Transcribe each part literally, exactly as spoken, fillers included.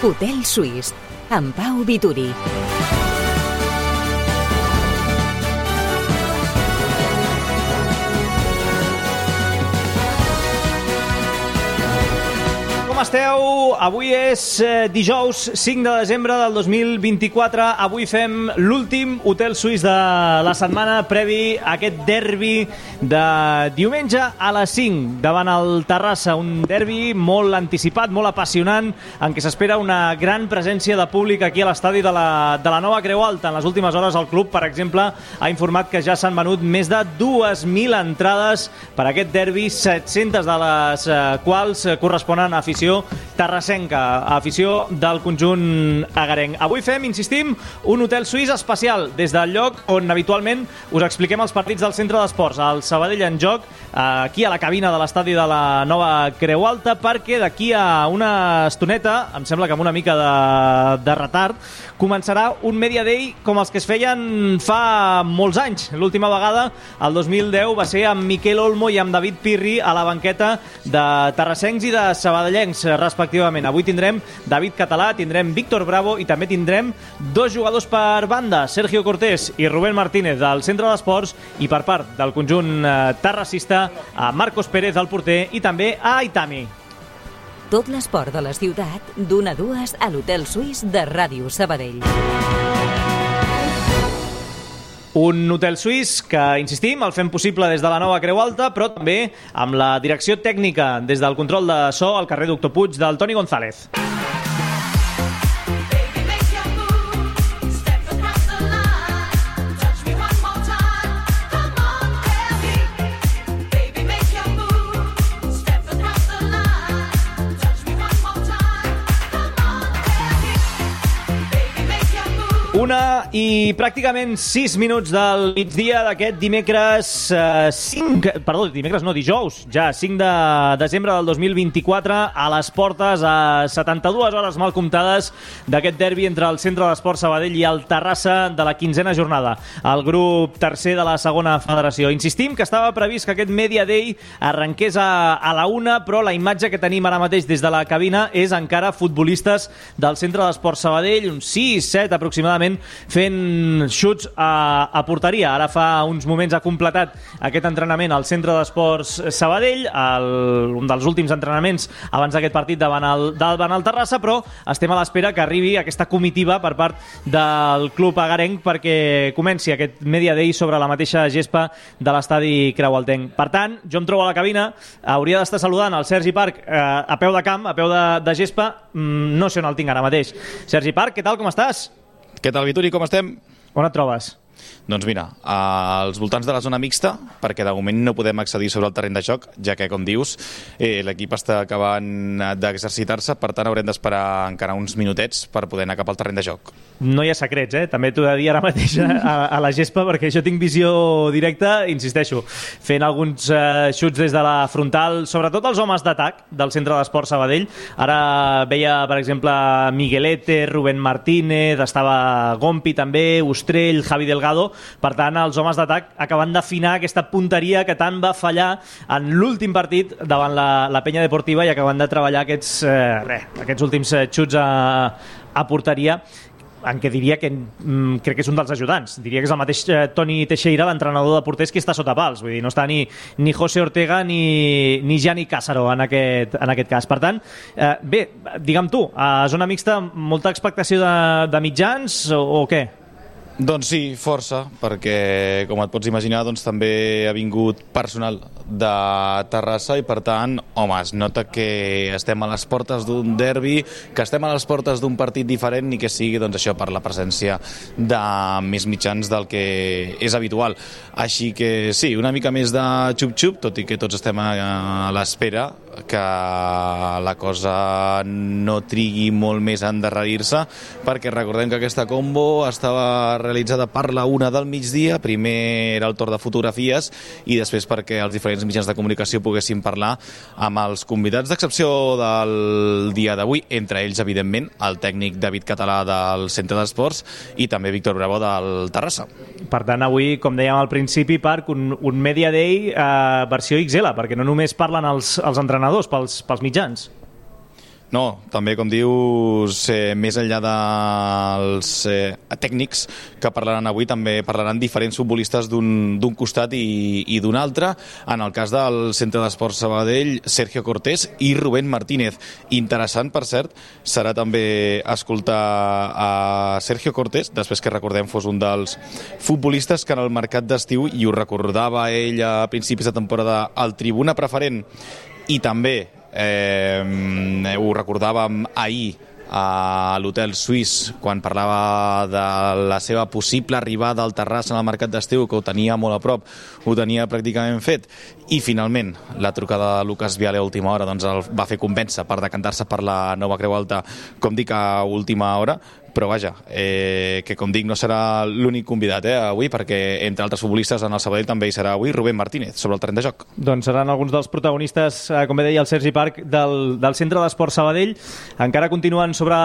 Hotel Suís, amb Pau Vituri. Com esteu? Avui és eh, dijous cinc de desembre del dos mil vint-i-quatre. Avui fem l'últim Hotel Suís de la setmana previ a aquest derbi de diumenge a les cinc davant el Terrassa. Un derbi molt anticipat, molt apassionant, en què s'espera una gran presència de públic aquí a l'estadi de la, de la Nova Creu Alta. En les últimes hores el club, per exemple, ha informat que ja s'han venut més de dues mil entrades per a aquest derbi, set-centes de les eh, quals corresponen a afició terrassenca, afició del conjunt agarenc. Avui fem, insistim, un Hotel Suís especial des del lloc on habitualment us expliquem els partits del centre d'esports, el Sabadell en joc, aquí a la cabina de l'estadi de la Nova Creu Alta, perquè d'aquí a una estoneta, em sembla que amb una mica de, de retard, començarà un Media Day com els que es feien fa molts anys. L'última vegada, el dos mil deu, va ser amb Miquel Olmo i amb David Pirri a la banqueta de terrassencs i de sabadellencs, respectivament. Avui tindrem David Català, tindrem Víctor Bravo i també tindrem dos jugadors per banda, Sergio Cortés i Rubén Martínez del centre d'esports, i per part del conjunt terracista a Marcos Pérez, el porter, i també a Aitami. Tot l'esport de la ciutat, d'una a dues a l'Hotel Suís de Ràdio Sabadell. Un Hotel Suís que, insistim, el fem possible des de la Nova Creu Alta, però també amb la direcció tècnica des del control de so al carrer Doctor Puig del Toni González. Una i pràcticament sis minuts del migdia d'aquest dimecres eh, cinc, perdó, dimecres no, dijous, ja cinc de desembre del dos mil vint-i-quatre, a les portes, a setanta-dues hores mal comptades d'aquest derbi entre el Centre d'Esports Sabadell i el Terrassa de la quinzena jornada, el grup tercer de la segona federació. Insistim que estava previst que aquest Media Day arrenqués a, a la una, però la imatge que tenim ara mateix des de la cabina és encara futbolistes del Centre d'Esports Sabadell, uns sis set aproximadament, fent xuts a, a porteria. Ara fa uns moments ha completat aquest entrenament al Centre d'Esports Sabadell, el, un dels últims entrenaments abans d'aquest partit davant el, davant el Terrassa, però estem a l'espera que arribi aquesta comitiva per part del club agarenc perquè comenci aquest Media Day sobre la mateixa gespa de l'estadi creualtenc. Per tant, jo em trobo a la cabina, hauria d'estar saludant el Sergi Parc eh, a peu de camp, a peu de, de gespa, mm, no sé on el tinc ara mateix. Sergi Parc, què tal, com estàs? Què tal, Vituri, com estem? On et trobes? Doncs mira, als voltants de la zona mixta, perquè de moment no podem accedir sobre el terreny de joc, ja que, com dius, eh, l'equip està acabant d'exercitar-se, per tant haurem d'esperar encara uns minutets per poder anar cap al terreny de joc. No hi ha secrets, eh? També t'ho he de dir ara mateix a, a la gespa, perquè jo tinc visió directa, insisteixo, fent alguns eh, xuts des de la frontal, sobretot els homes d'atac del Centre d'Esports Sabadell. Ara veia, per exemple, Miguelete, Rubén Martínez, estava Gompi també, Ostrell, Javi Delgado. Per tant, els homes d'atac acaben d'afinar aquesta punteria que tant va fallar en l'últim partit davant la, la Penya Deportiva, i acaben de treballar aquests, eh, res, aquests últims xuts a, a porteria, en què diria que mm, crec que és un dels ajudants. Diria que és el mateix eh, Toni Teixeira, l'entrenador de porters, que està sota pals. Vull dir, no està ni, ni José Ortega ni, ni Gianni Cásaro en aquest, en aquest cas. Per tant, eh, bé, digue'm tu, a zona mixta, molta expectació de, de mitjans o, o què? Doncs sí, força, perquè, com et pots imaginar, doncs, també ha vingut personal de Terrassa i, per tant, home, es nota que estem a les portes d'un derbi, que estem a les portes d'un partit diferent, ni que sigui, doncs, això, per la presència de més mitjans del que és habitual. Així que sí, una mica més de xup-xup, tot i que tots estem a, a l'espera que la cosa no trigui molt més a endarrerir-se, perquè recordem que aquesta combo estava realitzada per la una del migdia. Primer era el torn de fotografies i després perquè els diferents mitjans de comunicació poguessin parlar amb els convidats d'excepció del dia d'avui, entre ells, evidentment, el tècnic David Català del Centre d'Esports i també Víctor Bravo del Terrassa. Per tant, avui, com dèiem al principi, Parc, un, un Media Day eh, versió X L, perquè no només parlen els, els entrenadors pels, pels mitjans. No, també, com dius, eh, més enllà dels eh, tècnics que parlaran avui, també parlaran diferents futbolistes d'un costat i, i d'un altre. En el cas del Centre d'Esports Sabadell, Sergio Cortés i Rubén Martínez. Interessant, per cert, serà també escoltar a Sergio Cortés, després que recordem fos un dels futbolistes que en el mercat d'estiu, i ho recordava ell a principis de temporada, al Tribuna Preferent, i també Eh, ho recordàvem ahir a l'Hotel Suís quan parlava de la seva possible arribada al Terrassa en el mercat d'estiu, que ho tenia molt a prop, ho tenia pràcticament fet, i finalment la trucada de Lucas Viale a última hora doncs el va fer convèncer per decantar-se per la nova Creu Alta, com dic, a última hora. Però vaja, eh, que com dic no serà l'únic convidat eh, avui, perquè entre altres futbolistes en el Sabadell també hi serà avui Rubén Martínez sobre el terreny de joc. Doncs seran alguns dels protagonistes, eh, com bé deia el Sergi Parc, del, del Centre d'Esports Sabadell. Encara continuen sobre,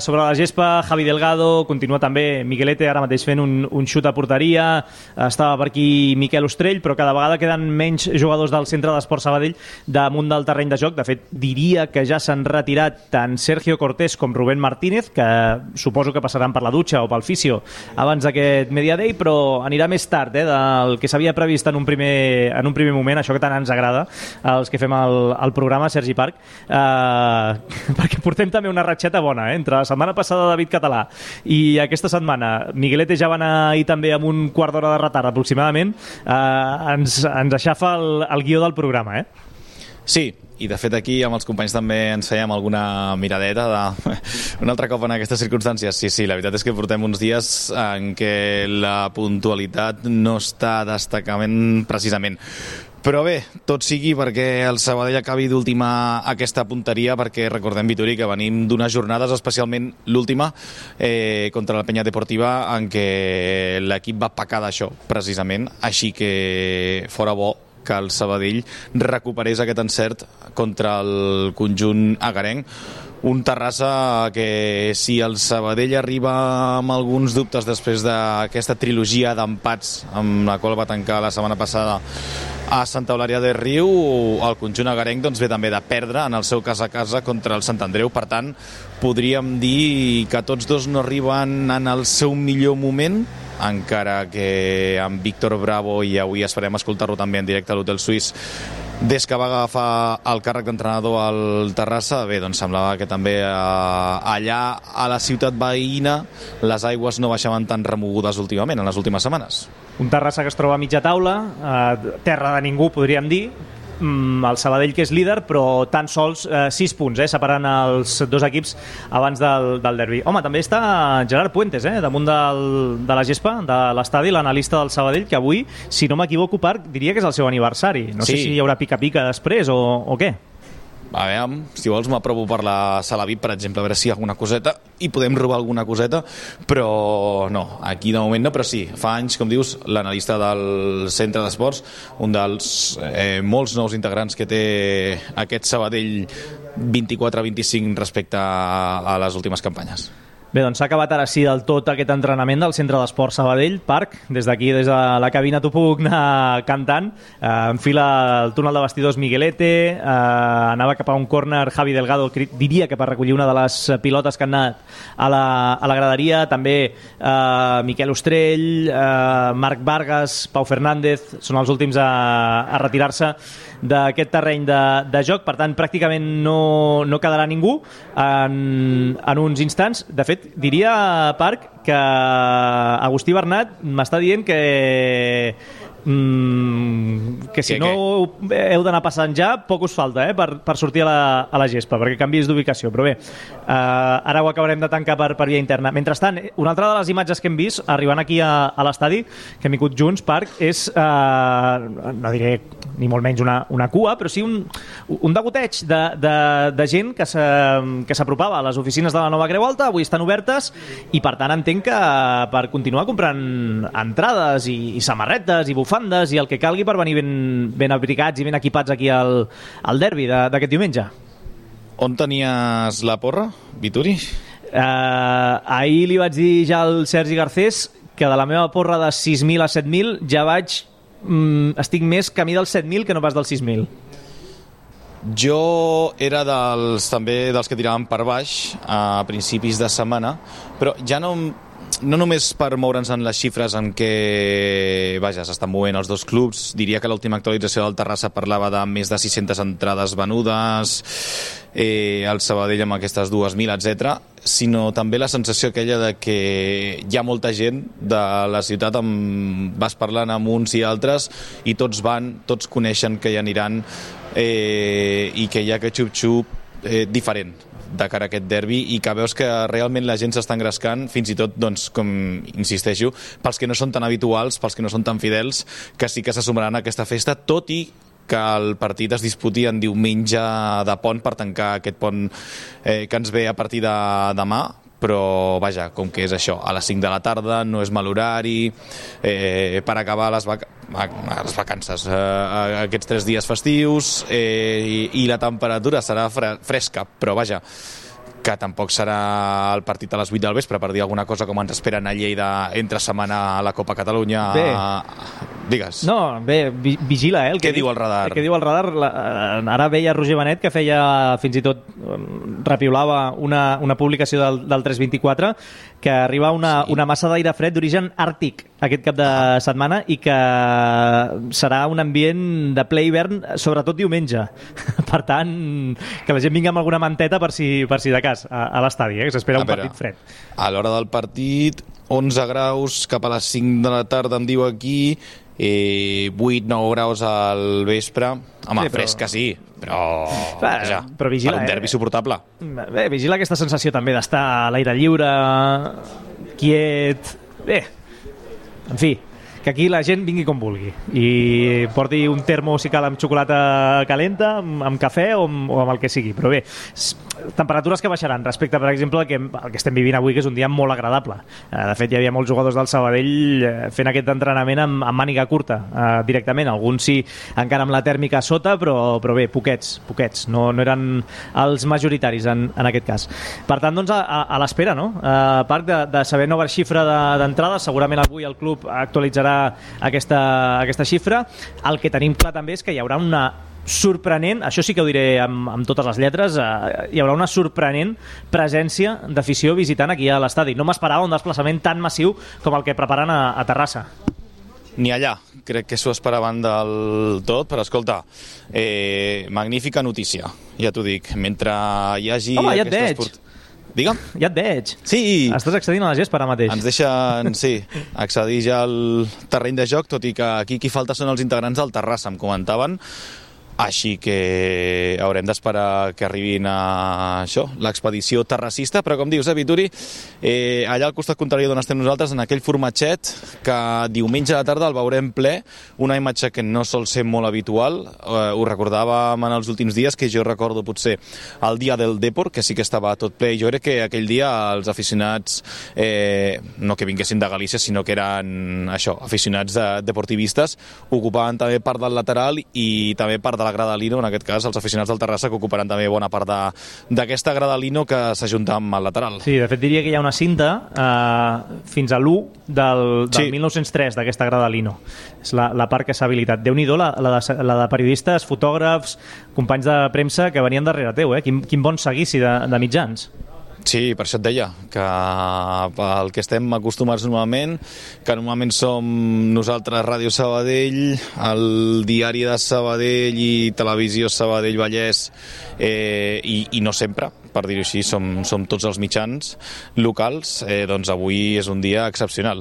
sobre la gespa Javi Delgado, continua també Miguelete ara mateix fent un, un xut a porteria, estava per aquí Miquel Ostrell, però cada vegada queden menys jugadors del Centre d'Esports Sabadell damunt del terreny de joc. De fet, diria que ja s'han retirat tant Sergio Cortés com Rubén Martínez, que suposo suposo que passaran per la dutxa o pel fisio abans d'aquest Media Day, però anirà més tard eh, del que s'havia previst en un, primer, en un primer moment, això que tant ens agrada als que fem el, el programa, Sergi Parc, eh, perquè portem també una ratxeta bona, eh, entre la setmana passada David Català i aquesta setmana Miguelete ja va anar ahir també amb un quart d'hora de retard aproximadament, eh, ens, ens aixafa el, el guió del programa, eh? Sí, i de fet aquí amb els companys també ens fèiem alguna miradeta de... un altre cop en aquestes circumstàncies. Sí, sí, la veritat és que portem uns dies en què la puntualitat no està destacament precisament. Però bé, tot sigui perquè el Sabadell acabi d'ultimar aquesta punteria, perquè recordem, Vituri, que venim d'unes jornades, especialment l'última eh, contra la Penya Deportiva, en què l'equip va pecar d'això, precisament. Així que fora bo que el Sabadell recuperés aquest encert contra el conjunt agarenc. Un Terrassa que, si el Sabadell arriba amb alguns dubtes després d'aquesta trilogia d'empats amb la qual va tancar la setmana passada a Santa Eulària de Riu, el conjunt agarenc doncs, ve també de perdre en el seu casa a casa contra el Sant Andreu. Per tant, podríem dir que tots dos no arriben en el seu millor moment, encara que amb Víctor Bravo, i avui esperem escoltar-lo també en directe a l'Hotel Suís, des que va agafar el càrrec d'entrenador al Terrassa, bé, doncs semblava que també eh, allà a la ciutat veïna les aigües no baixaven tan remogudes últimament, en les últimes setmanes. Un Terrassa que es troba a mitja taula, eh, terra de ningú, podríem dir, el Sabadell que és líder, però tan sols eh, sis punts, eh, separant els dos equips abans del, del derbi. Home, també està Gerard Puentes, eh, damunt del, de la gespa, de l'estadi, l'analista del Sabadell, que avui, si no m'equivoco, Parc, diria que és el seu aniversari. No sí. sé si hi haurà pica-pica després o, o què. A veure, si vols m'aprovo per la sala V I P, per exemple, a veure si hi ha alguna coseta i podem robar alguna coseta, però no, aquí de moment no, però sí, fa anys, com dius, l'analista del Centre d'Esports, un dels eh, molts nous integrants que té aquest Sabadell vint-i-quatre vint-i-cinc respecte a, a les últimes campanyes. Bé, doncs s'ha acabat ara sí del tot aquest entrenament del Centre d'Esports Sabadell. Parc, des d'aquí, des de la cabina t'ho puc anar cantant. Eh, enfila el túnel de vestidors Miguelete, eh, anava cap a un córner Javi Delgado, diria que per recollir una de les pilotes que han anat a la, a la graderia. També eh, Miquel Ostrell, eh, Marc Vargas, Pau Fernández, són els últims a, a retirar-se d'aquest terreny de, de joc. Per tant, pràcticament no, no quedarà ningú en, en uns instants. De fet, diria, Parc, que Agustí Bernat m'està dient que mm, que si que, no que? heu d'anar passant ja, poc us falta eh, per, per sortir a la, a la gespa, perquè canviïs d'ubicació. Però bé, eh, ara ho acabarem de tancar per, per via interna. Mentrestant, una altra de les imatges que hem vist arribant aquí a, a l'estadi, que hem vingut junts, Parc, és, eh, no diré ni molt menys una, una cua, però sí un, un degoteig de, de, de gent que s'apropava a les oficines de la nova Creu Alta. Avui estan obertes i per tant entenc que per continuar comprant entrades i, i samarretes i bufandes i el que calgui per venir ben, ben abrigats i ben equipats aquí al, al derbi d'aquest diumenge. On tenies la porra, Vituri? Uh, ahir li vaig dir ja al Sergi Garcés que de la meva porra de sis mil a set mil ja vaig mm, estic més camí dels set mil que no pas dels sis mil. Jo era dels, també dels que tiraven per baix a principis de setmana, però ja no, no només per moure'ns en les xifres en què vaja, s'estan movent els dos clubs. Diria que l'última actualització del Terrassa parlava de més de sis-centes entrades venudes, eh, el Sabadell amb aquestes dues mil, etcètera, sinó també la sensació aquella de que hi ha molta gent de la ciutat, amb, vas parlant amb uns i altres i tots van, tots coneixen que hi aniran, eh, i que hi ha aquest xup-xup eh, diferent de cara a aquest derbi, i que veus que realment la gent s'està engrescant, fins i tot, doncs, com insisteixo, pels que no són tan habituals, pels que no són tan fidels, que sí que se sumaran a aquesta festa, tot i que el partit es disputi en diumenge de pont per tancar aquest pont eh, que ens ve a partir de demà. Però, vaja, com que és això, a les cinc de la tarda, no és mal horari, eh, per acabar les, vac les vacances, eh, aquests tres dies festius, eh, i, i la temperatura serà fre fresca, però vaja, que tampoc serà el partit a les vuit del vespre, per dir alguna cosa, com ens esperen a Lleida entre setmana a la Copa Catalunya. Bé. Digues. No, bé, vi vigila, eh? El Què que diu el radar? El que diu el radar, la, ara veia Roger Benet que feia, fins i tot repiulava una, una publicació del, del tres vint-i-quatre, que arriba una, sí. una massa d'aire fred d'origen àrtic aquest cap de setmana, i que serà un ambient de ple hivern, sobretot diumenge. Per tant, que la gent vingui amb alguna manteta per si, per si de cas a, a l'estadi, eh? Que s'espera un partit fred. A l'hora del partit, onze graus cap a les cinc de la tarda, em diu aquí, eh, vuit nou graus al vespre. Home, sí, però... fresca sí, però, vaja, però vigila, per un derbi eh? suportable. Bé, vigila aquesta sensació també d'estar a l'aire lliure, quiet. Bé, en fi, que aquí la gent vingui com vulgui i porti un termo, si cal, amb xocolata calenta, amb, amb cafè o amb, o amb el que sigui. Però bé, temperatures que baixaran respecte, per exemple, al que, al que estem vivint avui, que és un dia molt agradable. De fet, hi havia molts jugadors del Sabadell fent aquest entrenament amb, amb màniga curta, eh, directament. Alguns sí, encara amb la tèrmica a sota, però, però bé, poquets, poquets. No, no eren els majoritaris en, en aquest cas. Per tant, doncs, a, a, a l'espera, no? A part de, de saber nova xifra d'entrades, de, segurament avui el club actualitzarà aquesta, aquesta xifra. El que tenim clar també és que hi haurà una sorprenent, això sí que ho diré amb, amb totes les lletres, eh, hi haurà una sorprenent presència d'afició visitant aquí a l'estadi. No m'esperava un desplaçament tan massiu com el que preparen a, a Terrassa. Ni allà, crec que s'ho esperaven del tot, però escolta, eh, magnífica notícia, ja t'ho dic, mentre hi hagi... Home, ja et veig. Esport... Digue'm. Ja et veig. Sí. Estàs accedint a la gespa ara mateix. Ens deixen, sí, accedir ja al terreny de joc, tot i que aquí qui falta són els integrants del Terrassa, em comentaven. Així que haurem d'esperar que arribin a això, l'expedició terrassista, però com dius, eh, Vituri, eh, allà al costat contrari d'on estem nosaltres, en aquell formatget, que diumenge a la tarda el veurem ple, una imatge que no sol ser molt habitual, eh, ho recordàvem en els últims dies, que jo recordo potser el dia del Depor, que sí que estava tot ple, i jo crec que aquell dia els aficionats, eh, no que vinguessin de Galícia, sinó que eren això, aficionats de, deportivistes, ocupaven també part del lateral i també part de la Gradalino, en aquest cas els aficionats del Terrassa, que ocuparan també bona part d'aquesta Gradalino que s'ajunta amb el lateral. Sí, de fet diria que hi ha una cinta eh, fins a l'u del, del sí. mil nou-cents tres d'aquesta Gradalino. És la, la part que s'ha habilitat. Déu-n'hi-do la, la, de, la de periodistes, fotògrafs, companys de premsa que venien darrere teu, eh? Quin, quin bon seguici de, de mitjans. Sí, per això et deia, que pel que estem acostumats normalment, que normalment som nosaltres Ràdio Sabadell, el diari de Sabadell i Televisió Sabadell Vallès, eh, i, i no sempre, per dir-ho així, som, som tots els mitjans locals, eh, doncs avui és un dia excepcional.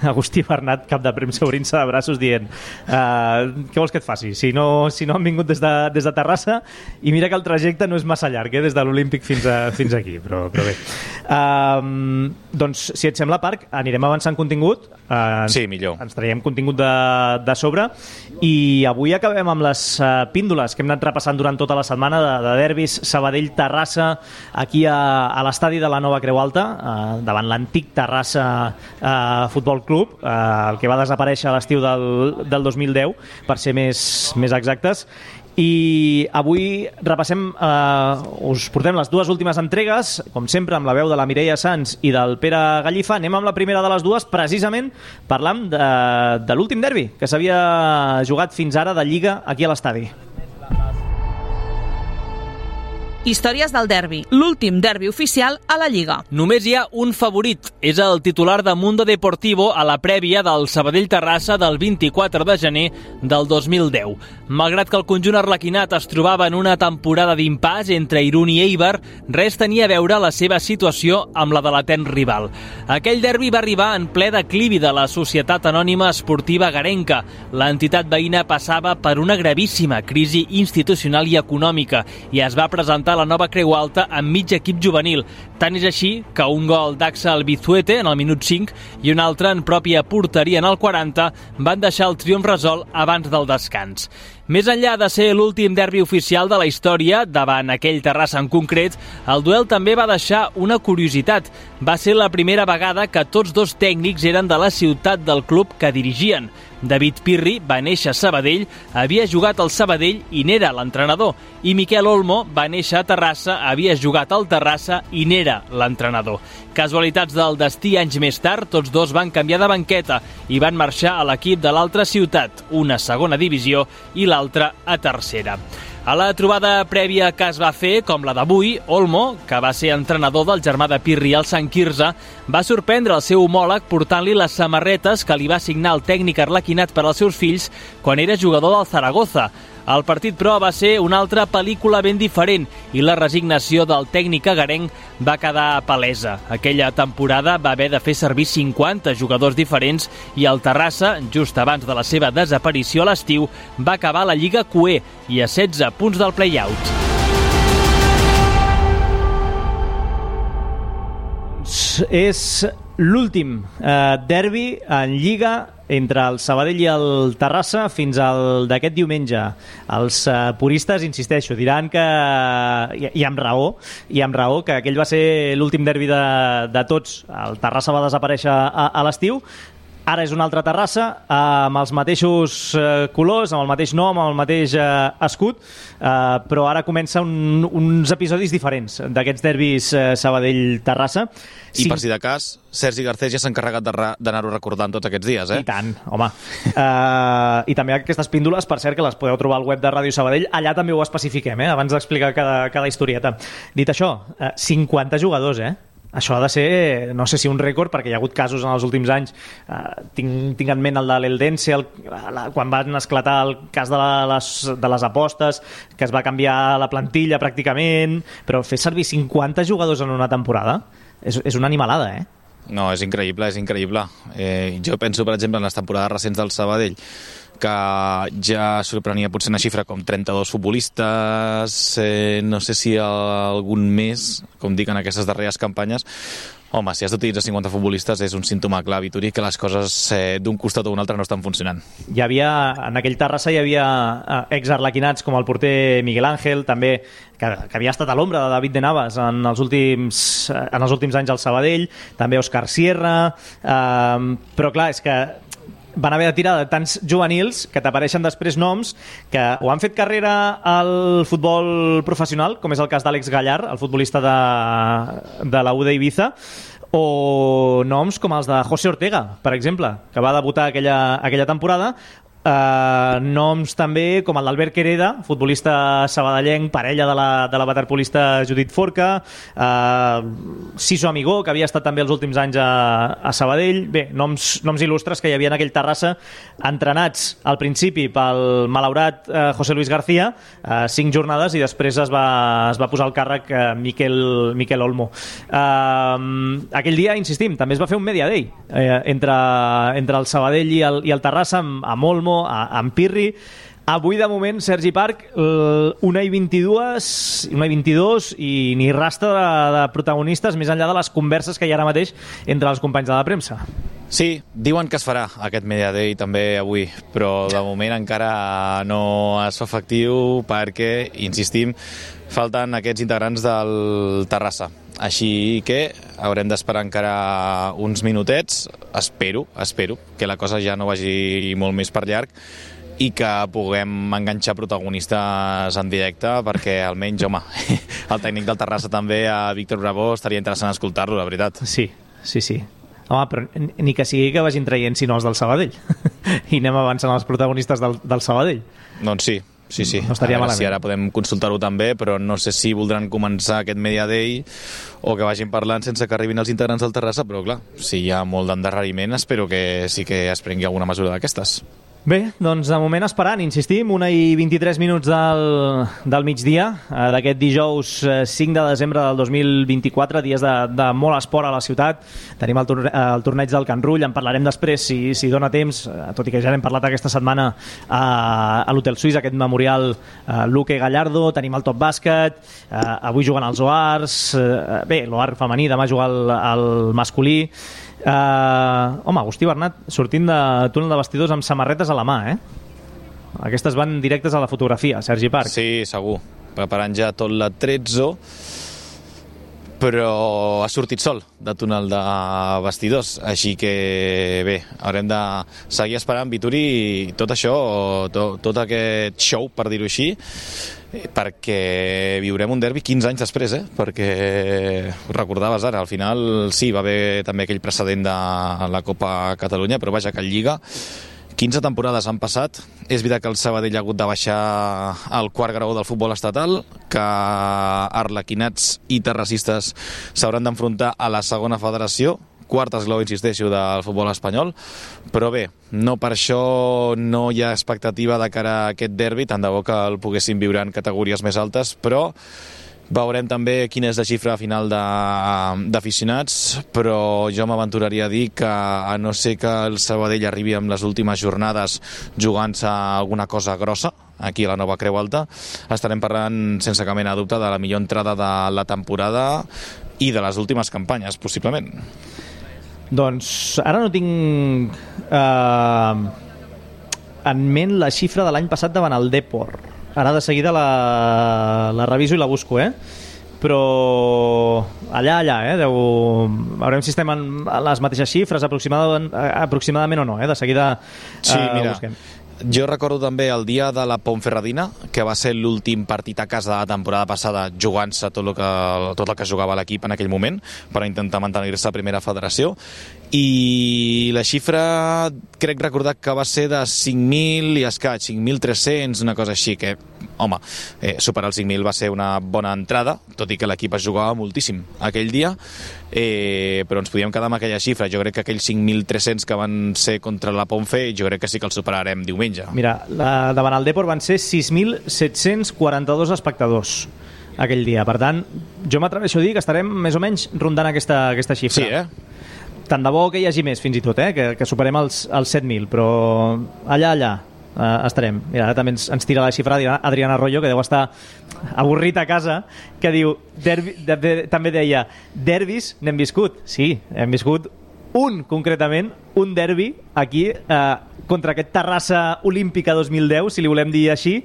Agustí Bernat, cap de premsa, obrint-se de braços, dient uh, què vols que et faci? Si no, si no han vingut des de, des de Terrassa, i mira que el trajecte no és massa llarg, eh? Des de l'Olímpic fins, a, fins aquí, però, però bé. Uh, doncs, si et sembla, Parc, anirem avançant contingut. Uh, sí, millor. Ens traiem contingut de, de sobre, i avui acabem amb les uh, píndoles que hem anat repassant durant tota la setmana de, de derbis Sabadell-Terrassa aquí a, a l'estadi de la Nova Creu Alta, uh, davant l'antic Terrassa uh, Futbol Club, Uh, el que va desaparèixer a l'estiu del, del dos mil deu, per ser més, més exactes. I avui repassem, uh, us portem les dues últimes entregues, com sempre amb la veu de la Mireia Sans i del Pere Gallifa. Anem amb la primera de les dues, precisament parlant de, de l'últim derbi que s'havia jugat fins ara de Lliga aquí a l'estadi. Històries del derbi, l'últim derbi oficial a la Lliga. Només hi ha un favorit, és el titular de Mundo Deportivo a la prèvia del Sabadell-Terrassa del vint-i-quatre de gener del dos mil deu. Malgrat que el conjunt arlequinat es trobava en una temporada d'impàs entre Irún i Eibar, res tenia a veure la seva situació amb la de l'atent rival. Aquell derbi va arribar en ple declivi de la Societat Anònima Esportiva Garenca. L'entitat veïna passava per una gravíssima crisi institucional i econòmica i es va presentar la nova Creu Alta amb mig equip juvenil. Tant és així que un gol d'Axel Bizuete en el minut cinc i un altre en pròpia porteria en el quaranta van deixar el triomf resolt abans del descans. Més enllà de ser l'últim derbi oficial de la història, davant aquell Terrassa en concret, el duel també va deixar una curiositat. Va ser la primera vegada que tots dos tècnics eren de la ciutat del club que dirigien. David Pirri va néixer a Sabadell, havia jugat al Sabadell i n'era l'entrenador, i Miquel Olmo va néixer a Terrassa, havia jugat al Terrassa i n'era l'entrenador. Casualitats del destí, anys més tard, tots dos van canviar de banqueta i van marxar a l'equip de l'altra ciutat, una segona divisió i l'altra a tercera. A la trobada prèvia que es va fer, com la d'avui, Olmo, que va ser entrenador del germà de Pirri al Sant Quirze, va sorprendre el seu homòleg portant-li les samarretes que li va signar el tècnic arlequinat per als seus fills quan era jugador del Zaragoza. El partit, però, va ser una altra pel·lícula ben diferent i la resignació del tècnic agarenc va quedar palesa. Aquella temporada va haver de fer servir cinquanta jugadors diferents i el Terrassa, just abans de la seva desaparició a l'estiu, va acabar la Lliga Q E i a setze punts del play-out. És l'últim eh, derbi en Lliga entre el Sabadell i el Terrassa fins al d'aquest diumenge. Els eh, puristes, insisteixo, diran que, i, i amb raó, i amb raó, que aquell va ser l'últim derbi de, de tots. El Terrassa va desaparèixer a, a l'estiu. Ara és una altra Terrassa, eh, amb els mateixos eh, colors, amb el mateix nom, amb el mateix eh, escut, eh, però ara comença un, uns episodis diferents d'aquests derbis eh, Sabadell-Terrassa. I sí. Per si de cas, Sergi Garcés ja s'ha encarregat d'anar-ho recordant tots aquests dies, eh? I tant, home. uh, I també aquestes píndoles, per cert, que les podeu trobar al web de Ràdio Sabadell. Allà també ho especifiquem, eh? Abans d'explicar cada, cada historieta. Dit això, uh, cinquanta jugadors, eh? Això ha de ser, no sé si un rècord, perquè hi ha hagut casos en els últims anys. Uh, tinc, tinc en ment el de l'Eldense, el, la, quan van esclatar el cas de, la, les, de les apostes, que es va canviar la plantilla pràcticament, però fer servir cinquanta jugadors en una temporada és, és una animalada, eh? No, és increïble, és increïble. Eh, jo penso, per exemple, en les temporades recents del Sabadell, que ja sorprenia potser una xifra com trenta-dos futbolistes, eh, no sé si algun més, com dic en aquestes darreres campanyes. Home, si has d'utilitzar cinquanta futbolistes és un símptoma clar, Vitori, que les coses eh, d'un costat o un altre no estan funcionant. Hi havia, en aquell Terrassa hi havia eh, exarlequinats com el porter Miguel Ángel, també, que, que havia estat a l'ombra de David de Navas en els últims, en els últims anys al Sabadell, també Òscar Sierra, eh, però clar, és que van haver de tirar de tants juvenils que t'apareixen després noms que o han fet carrera al futbol professional, com és el cas d'Àlex Gallar, el futbolista de, de la U de Ibiza, o noms com els de José Ortega, per exemple, que va debutar aquella, aquella temporada. Uh, noms també com el d'Albert Quereda, futbolista sabadellenc, parella de la, de la waterpolista Judit Forca, uh, Siso Amigó, que havia estat també els últims anys a, a Sabadell. Bé, noms, noms il·lustres que hi havia en aquell Terrassa, entrenats al principi pel malaurat uh, José Luis García, uh, cinc jornades, i després es va, es va posar al càrrec uh, Miquel, Miquel Olmo. Uh, aquell dia, insistim, també es va fer un Media Day uh, entre, entre el Sabadell i el, i el Terrassa, amb, amb Olmo, a Pirri. Avui, de moment, Sergi Parc, una i vint-i-dues, una i vint-i-dos, i ni rastre de, de protagonistes més enllà de les converses que hi ha ara mateix entre els companys de la premsa. Sí, diuen que es farà aquest Media Day també avui, però de moment encara no es fa efectiu perquè, insistim, falten aquests integrants del Terrassa. Així que haurem d'esperar encara uns minutets. Espero, espero que la cosa ja no vagi molt més per llarg i que puguem enganxar protagonistes en directe, perquè almenys, home, el tècnic del Terrassa també, a Víctor Bravo, estaria interessant escoltar-lo, la veritat. Sí, sí, sí. Home, però ni que sigui que vagin traient sinó els del Sabadell i anem avançant els protagonistes del, del Sabadell. Doncs sí, Sí, sí. No estaria malament. Si ara podem consultar-ho també, però no sé si voldran començar aquest Media Day o que vagin parlant sense que arribin els integrants del Terrassa, però clar, si hi ha molt d'endarreriment, espero que sí que es prengui alguna mesura d'aquestes. Bé, doncs de moment esperant, insistim, una i vint-i-tres minuts del, del migdia d'aquest dijous cinc de desembre del dos mil vint-i-quatre, dies de, de molt esport a la ciutat. Tenim el, torne, el torneig del Can Rull, en parlarem després si, si dona temps, tot i que ja n'hem parlat aquesta setmana a, a l'Hotel Suís, aquest memorial a Luque Gallardo. Tenim el Top Bàsquet, avui juguen els Oars, bé, l'Oar femení, demà juga el, el masculí. Uh, home, Agustí Bernat sortint de túnel de vestidors amb samarretes a la mà, eh? Aquestes van directes a la fotografia, Sergi Parc. Sí, segur, preparant ja tot l'atrezzo, però ha sortit sol de túnel de vestidors, així que bé, haurem de seguir esperant, Vituri, tot això, tot, tot aquest show, per dir-ho així, perquè viurem un derbi quinze anys després, eh? Perquè ho recordaves ara, al final sí, va haver també aquell precedent de la Copa Catalunya, però vaja, que en Lliga quinze temporades han passat. És veritat que el Sabadell ha hagut de baixar al quart grau del futbol estatal, que arlequinats i terracistes s'hauran d'enfrontar a la segona federació, quart esglaó, insisteixo, del futbol espanyol, però bé, no per això no hi ha expectativa de cara a aquest derbi, tant de bo que el poguessin viure en categories més altes, però veurem també quina és la xifra final d'aficionats, però jo m'aventuraria a dir que, a no ser que el Sabadell arribi amb les últimes jornades jugant-se alguna cosa grossa, aquí a la Nova Creu Alta, estarem parlant sense cap mena de dubte de la millor entrada de la temporada i de les últimes campanyes, possiblement. Doncs ara no tinc eh, en ment la xifra de l'any passat davant el Depor. Ara de seguida la, la reviso i la busco, eh? Però allà, allà, eh? Deu... Veurem si estem en les mateixes xifres aproximadament, aproximadament o no, eh? De seguida eh, sí, mira, busquem. Jo recordo també el dia de la Ponferradina, que va ser l'últim partit a casa de la temporada passada, jugant-se tot el que, tot el que jugava l'equip en aquell moment per intentar mantenir-se a primera federació, i la xifra crec recordar que va ser de cinc mil i escaig, cinc mil tres-cents, una cosa així, que home, eh, superar els cinc mil va ser una bona entrada, tot i que l'equip es jugava moltíssim aquell dia, eh, però ens podíem quedar amb aquella xifra. Jo crec que aquells cinc mil tres-cents que van ser contra la Ponfe, jo crec que sí que els superarem diumenge. Mira, la, davant el Depor van ser sis mil set-cents quaranta-dos espectadors aquell dia. Per tant, jo m'atreveixo a dir que estarem més o menys rondant aquesta, aquesta xifra. Sí, eh? Tant de bo que hi hagi més, fins i tot, eh? que, que superem els, els set mil, però allà, allà eh, estarem. Mira, ara també ens, ens tira la xifra Adriana Arroyo, que deu estar avorrit a casa, que diu, derbi, de, de, també deia, derbis n'hem viscut. Sí, hem viscut un, concretament, un derbi aquí eh, contra aquest Terrassa Olímpica dos mil deu, si li volem dir així,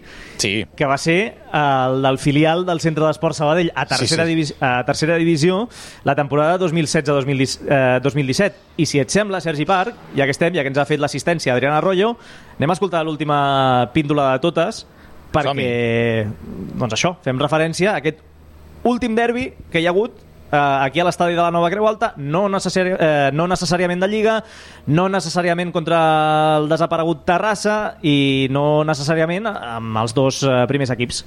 sí, que va ser el del filial del Centre d'Esport Sabadell a tercera, sí, sí. Divis, a tercera divisió la temporada dos mil setze dos mil disset. I si et sembla, Sergi Parc, ja que estem, ja que ens ha fet l'assistència Adriana Arroyo, anem a escoltar l'última píndola de totes, perquè, doncs això, fem referència a aquest últim derbi que hi ha hagut Uh, aquí a l'estadi de la Nova Creu Alta, no, necessari, uh, no necessàriament de Lliga, no necessàriament contra el desaparegut Terrassa i no necessàriament amb els dos uh, primers equips.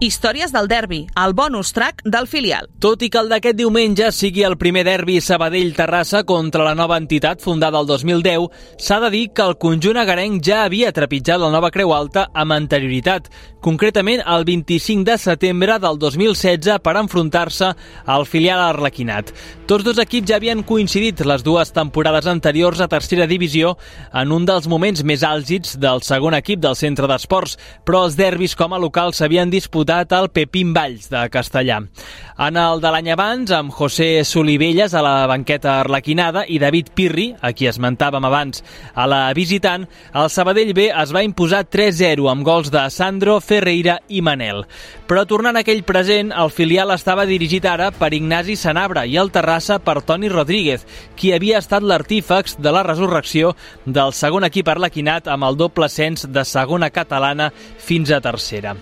Històries del derbi, el bonus track del filial. Tot i que el d'aquest diumenge sigui el primer derbi Sabadell-Terrassa contra la nova entitat fundada el dos mil deu, s'ha de dir que el conjunt agarenc ja havia trepitjat la Nova Creu Alta amb anterioritat, concretament el vint-i-cinc de setembre del dos mil setze per enfrontar-se al filial arlequinat. Tots dos equips ja havien coincidit les dues temporades anteriors a tercera divisió en un dels moments més àlgids del segon equip del centre d'esports, però els derbis com a local s'havien disputat al Pepín Valls de Castellà. En el de l'any abans, amb José Solivelles a la banqueta arlequinada i David Pirri, a qui esmentàvem abans, a la visitant, el Sabadell B es va imposar tres zero amb gols de Sandro, Ferreira i Manel. Però tornant a aquell present, el filial estava dirigit ara per Ignasi Sanabra i el Terrassa per Toni Rodríguez, qui havia estat l'artífex de la resurrecció del segon equip arlequinat amb el doble ascens de segona catalana fins a tercera.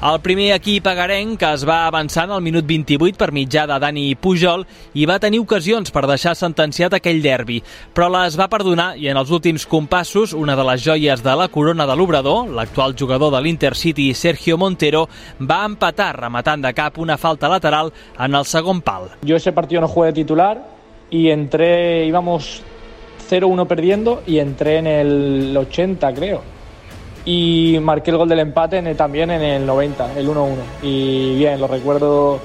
El primer equip agarenc que es va avançant al minut vint-i-vuit per mitjà de Dani Pujol i va tenir ocasions per deixar sentenciat aquell derbi, però les va perdonar i en els últims compassos una de les joies de la corona de l'Obrador, l'actual jugador de l'Intercity Sergio Montero, va empatar rematant de cap una falta lateral en el segon pal. Yo ese partido no jugué de titular y entré, íbamos cero uno perdiendo y entré en el ochenta, creo. Y marqué el gol del empate en, también en el noventa, el uno uno. Y bien, lo recuerdo,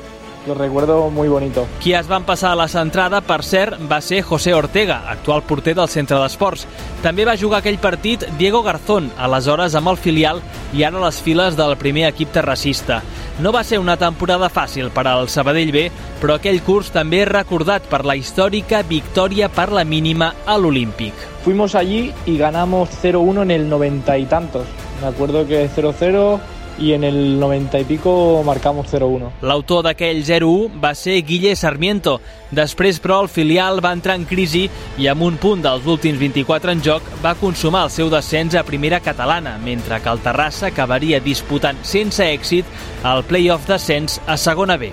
lo recuerdo muy bonito. Qui es va empassar a la centrada, per cert, va ser José Ortega, actual porter del Centre d'Esports. També va jugar aquell partit Diego Garzón, aleshores amb el filial i ara a les files del primer equip terrassista. No va ser una temporada fàcil per al Sabadell B, però aquell curs també és recordat per la històrica victòria per la mínima a l'Olímpic. Fuimos allí y ganamos cero uno en el noventa y tantos. Me acuerdo que cero cero y en el noventa y pico marcamos cero uno. L'autor d'aquell zero u va ser Guille Sarmiento. Després, però, el filial va entrar en crisi i amb un punt dels últims vint-i-quatre en joc va consumar el seu descens a primera catalana, mentre que el Terrassa acabaria disputant sense èxit el play-off descens a segona B.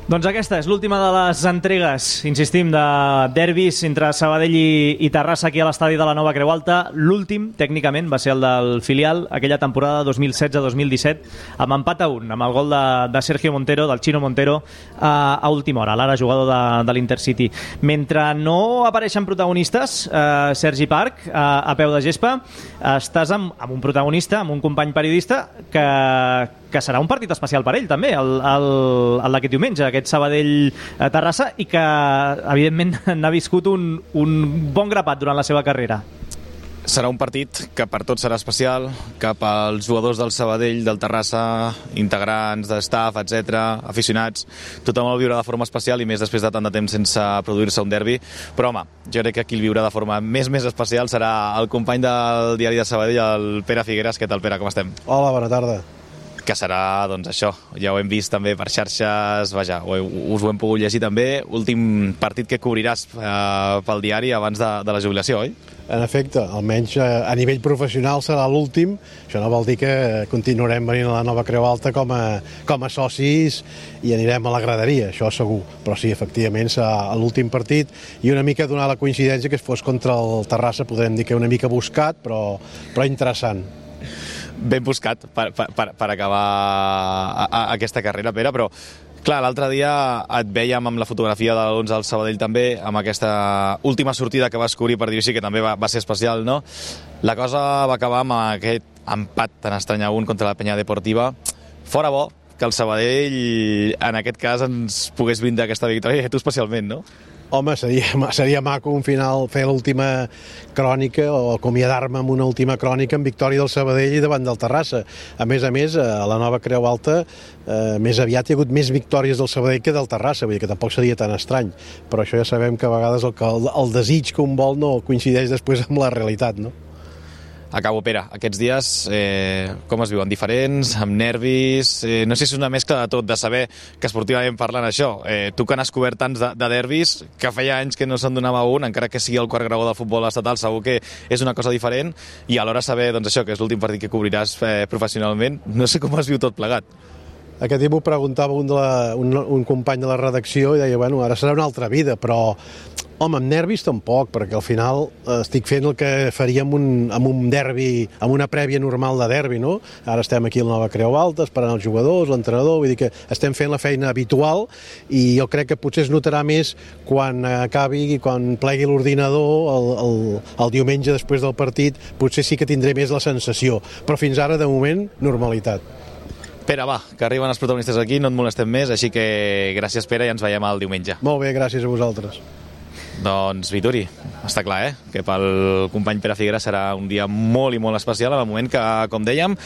Doncs aquesta és l'última de les entregues, insistim, de derbis entre Sabadell i, i Terrassa aquí a l'estadi de la Nova Creu Alta. L'últim, tècnicament, va ser el del filial aquella temporada dos mil setze dos mil disset, amb empat a un, amb el gol de, de Sergio Montero, del Chino Montero, a, a última hora, l'ara jugador de, de l'Intercity. Mentre no apareixen protagonistes, eh, Sergi Parc, a, a peu de gespa, estàs amb, amb un protagonista, amb un company periodista que, que serà un partit especial per ell, també, el, el, el d'aquest diumenge, aquest Sabadell-Terrassa, i que, evidentment, n'ha viscut un, un bon grapat durant la seva carrera. Serà un partit que per tots serà especial, cap als jugadors del Sabadell, del Terrassa, integrants, de staff, etcètera, aficionats. Tothom el viurà de forma especial i més després de tant de temps sense produir-se un derbi. Però, home, jo crec que qui el viurà de forma més més especial serà el company del diari de Sabadell, el Pere Figueres. Què tal, Pere? Com estem? Hola, bona tarda. Que serà, doncs, això, ja ho hem vist també per xarxes, vaja, us ho hem pogut llegir també, últim partit que cobriràs eh, pel diari abans de, de la jubilació, oi? En efecte, almenys eh, a nivell professional serà l'últim. Això no vol dir que continuarem venint a la Nova Creu Alta com a, com a socis i anirem a la graderia, això segur. Però sí, efectivament, serà l'últim partit i una mica donar la coincidència que fos contra el Terrassa, podem dir que una mica buscat, però, però interessant. Ben buscat per, per, per acabar a, a aquesta carrera, Pere, però clar, l'altre dia et vèiem amb la fotografia de l'onze del Sabadell també, amb aquesta última sortida que vas cobrir, per dir-ho així, que també va, va ser especial, no? La cosa va acabar amb aquest empat tan estrany a un contra la Penya Deportiva. Fora bo que el Sabadell, en aquest cas, ens pogués brindar aquesta victòria, i tu especialment, no? Home, seria, seria maco un final fer l'última crònica o acomiadar-me amb una última crònica en victòria del Sabadell davant del Terrassa. A més a més, a la Nova Creu Alta eh, més aviat hi ha hagut més victòries del Sabadell que del Terrassa, vull dir que tampoc seria tan estrany, però això ja sabem que a vegades el, el, el desig que un vol no coincideix després amb la realitat, no? Acabo, Pere. Aquests dies, eh, com es viuen? Diferents, amb nervis? Eh, no sé si és una mescla de tot, de saber que esportivament parlant això. Eh, tu que n'has cobert tants de, de derbis, que feia anys que no se'n donava un, encara que sigui el quart graó del futbol estatal, segur que és una cosa diferent, i alhora saber, doncs això, que és l'últim partit que cobriràs eh, professionalment. No sé com es viu tot plegat. Aquest dia m'ho preguntava un, de la, un, un company de la redacció i deia, bueno, ara serà una altra vida, però home, amb nervis tampoc, perquè al final eh, estic fent el que faríem un, amb un derbi, amb una prèvia normal de derbi, no? Ara estem aquí a la Nova Creu Alta, esperant els jugadors, l'entrenador, vull dir que estem fent la feina habitual i jo crec que potser es notarà més quan acabi, quan plegui l'ordinador el, el, el diumenge després del partit, potser sí que tindré més la sensació, però fins ara, de moment, normalitat. Pere, va, que arriben els protagonistes aquí, no et molestem més, així que gràcies, Pere, i ens veiem el diumenge. Molt bé, gràcies a vosaltres. Doncs, Vituri, està clar, eh? Que pel company Pere Figueres serà un dia molt i molt especial en el moment que, com dèiem,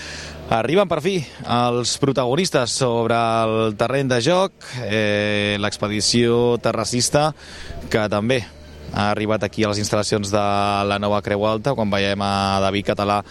arriben per fi els protagonistes sobre el terreny de joc, eh, l'expedició terrassista, que també ha arribat aquí a les instal·lacions de la Nova Creu Alta, quan veiem a David Català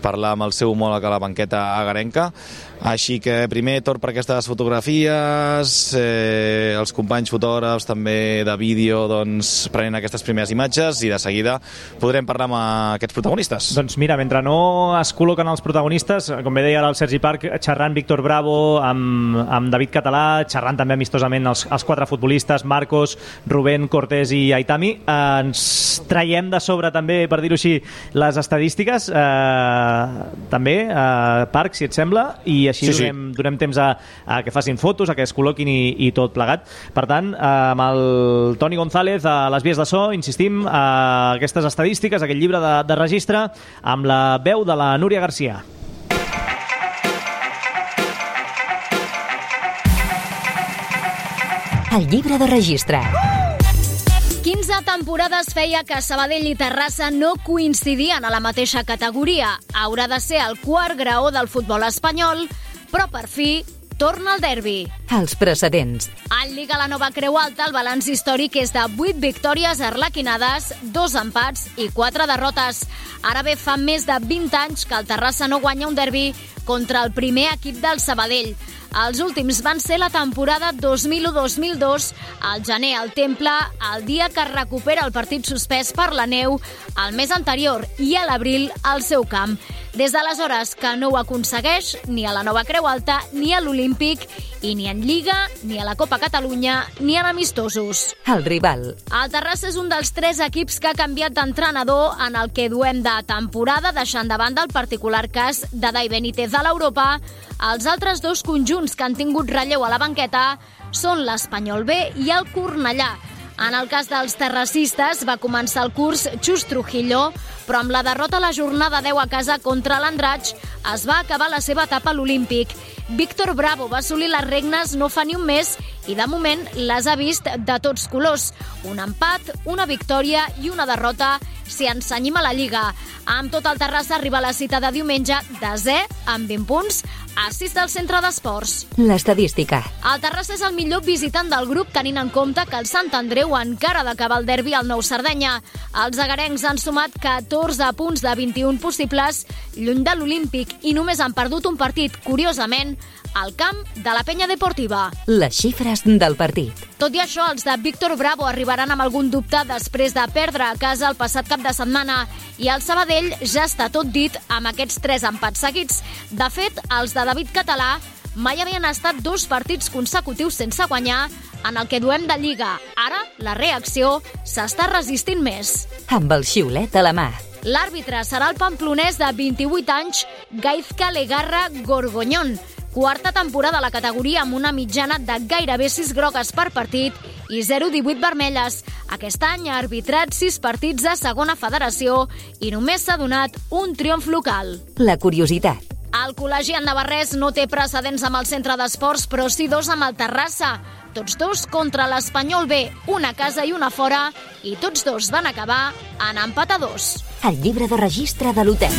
parlar amb el seu homòleg a la banqueta agarenca. Així que primer torn per aquestes fotografies, eh, els companys fotògrafs també de vídeo doncs, prenent aquestes primeres imatges i de seguida podrem parlar amb aquests protagonistes. Doncs mira, mentre no es col·loquen els protagonistes, com bé deia ara el Sergi Parc, xerrant Víctor Bravo amb, amb David Català, xerrant també amistosament els, els quatre futbolistes, Marcos, Rubén, Cortés i Aitami. Eh, ens traiem de sobre també, per dir-ho així, les estadístiques, eh, també, eh, Parc, si et sembla, i així sí, donem, sí. donem temps a, a que facin fotos, a que es col·loquin i, i tot plegat. Per tant, eh, amb el Toni González a les vies de so, insistim, a aquestes estadístiques, aquest llibre de, de registre, amb la veu de la Núria Garcia. El llibre de registre. quinze temporades feia que Sabadell i Terrassa no coincidien a la mateixa categoria. Haurà de ser el quart graó del futbol espanyol, però per fi torna el derbi. Els precedents. En Lliga la Nova Creu Alta, el balanç històric és de vuit victòries arlequinades, dos empats i quatre derrotes. Ara bé, fa més de vint anys que el Terrassa no guanya un derbi contra el primer equip del Sabadell. Els últims van ser la temporada dos mil u dos mil dos, al gener al Temple, el dia que es recupera el partit suspès per la neu, el mes anterior, i a l'abril al seu camp. Des d'aleshores que no ho aconsegueix ni a la Nova Creu Alta ni a l'Olímpic, i ni en Lliga, ni a la Copa Catalunya, ni en amistosos. El rival. El Terrassa és un dels tres equips que ha canviat d'entrenador en el que duem de temporada, deixant de banda el particular cas de Dai Benítez a l'Europa. Els altres dos conjunts que han tingut relleu a la banqueta són l'Espanyol B i el Cornellà. En el cas dels terracistes va començar el curs Xus Trujillo, però amb la derrota a la jornada deu a casa contra l'Andratx es va acabar la seva etapa a l'Olímpic. Víctor Bravo va assolir les regnes no fa ni un mes i de moment les ha vist de tots colors. Un empat, una victòria i una derrota si ens cenyim a la Lliga. Amb tot el Terrassa arriba a la cita de diumenge desè, amb vint punts, a sis del centre d'esports. L'estadística. El Terrassa és el millor visitant del grup, tenint en compte que el Sant Andreu encara ha d'acabar el derbi al Nou Sardenya. Els agarencs han sumat catorze punts de vint-i-un possibles, lluny de l'Olímpic, i només han perdut un partit, curiosament, al camp de la Penya Deportiva. Les xifres del partit. Tot i això, els de Víctor Bravo arribaran amb algun dubte després de perdre a casa el passat cap de setmana, i el Sabadell ja està tot dit amb aquests tres empats seguits. De fet, els de David Català mai havien estat dos partits consecutius sense guanyar en el que duem de Lliga. Ara, la reacció s'està resistint més. Amb el xiulet a la mà. L'àrbitre serà el pamplonès de vint-i-vuit anys, Gaizka Legarra Gorgoñón. Quarta temporada a la categoria amb una mitjana de gairebé sis grogues per partit i zero coma divuit vermelles. Aquest any ha arbitrat sis partits a segona federació i només s'ha donat un triomf local. La curiositat. El col·legiat navarrès no té precedents amb el centre d'esports, però sí dos amb el Terrassa. Tots dos contra l'Espanyol B, una a casa i una fora, i tots dos van acabar en empat a dos. El llibre de registre de l'hotel.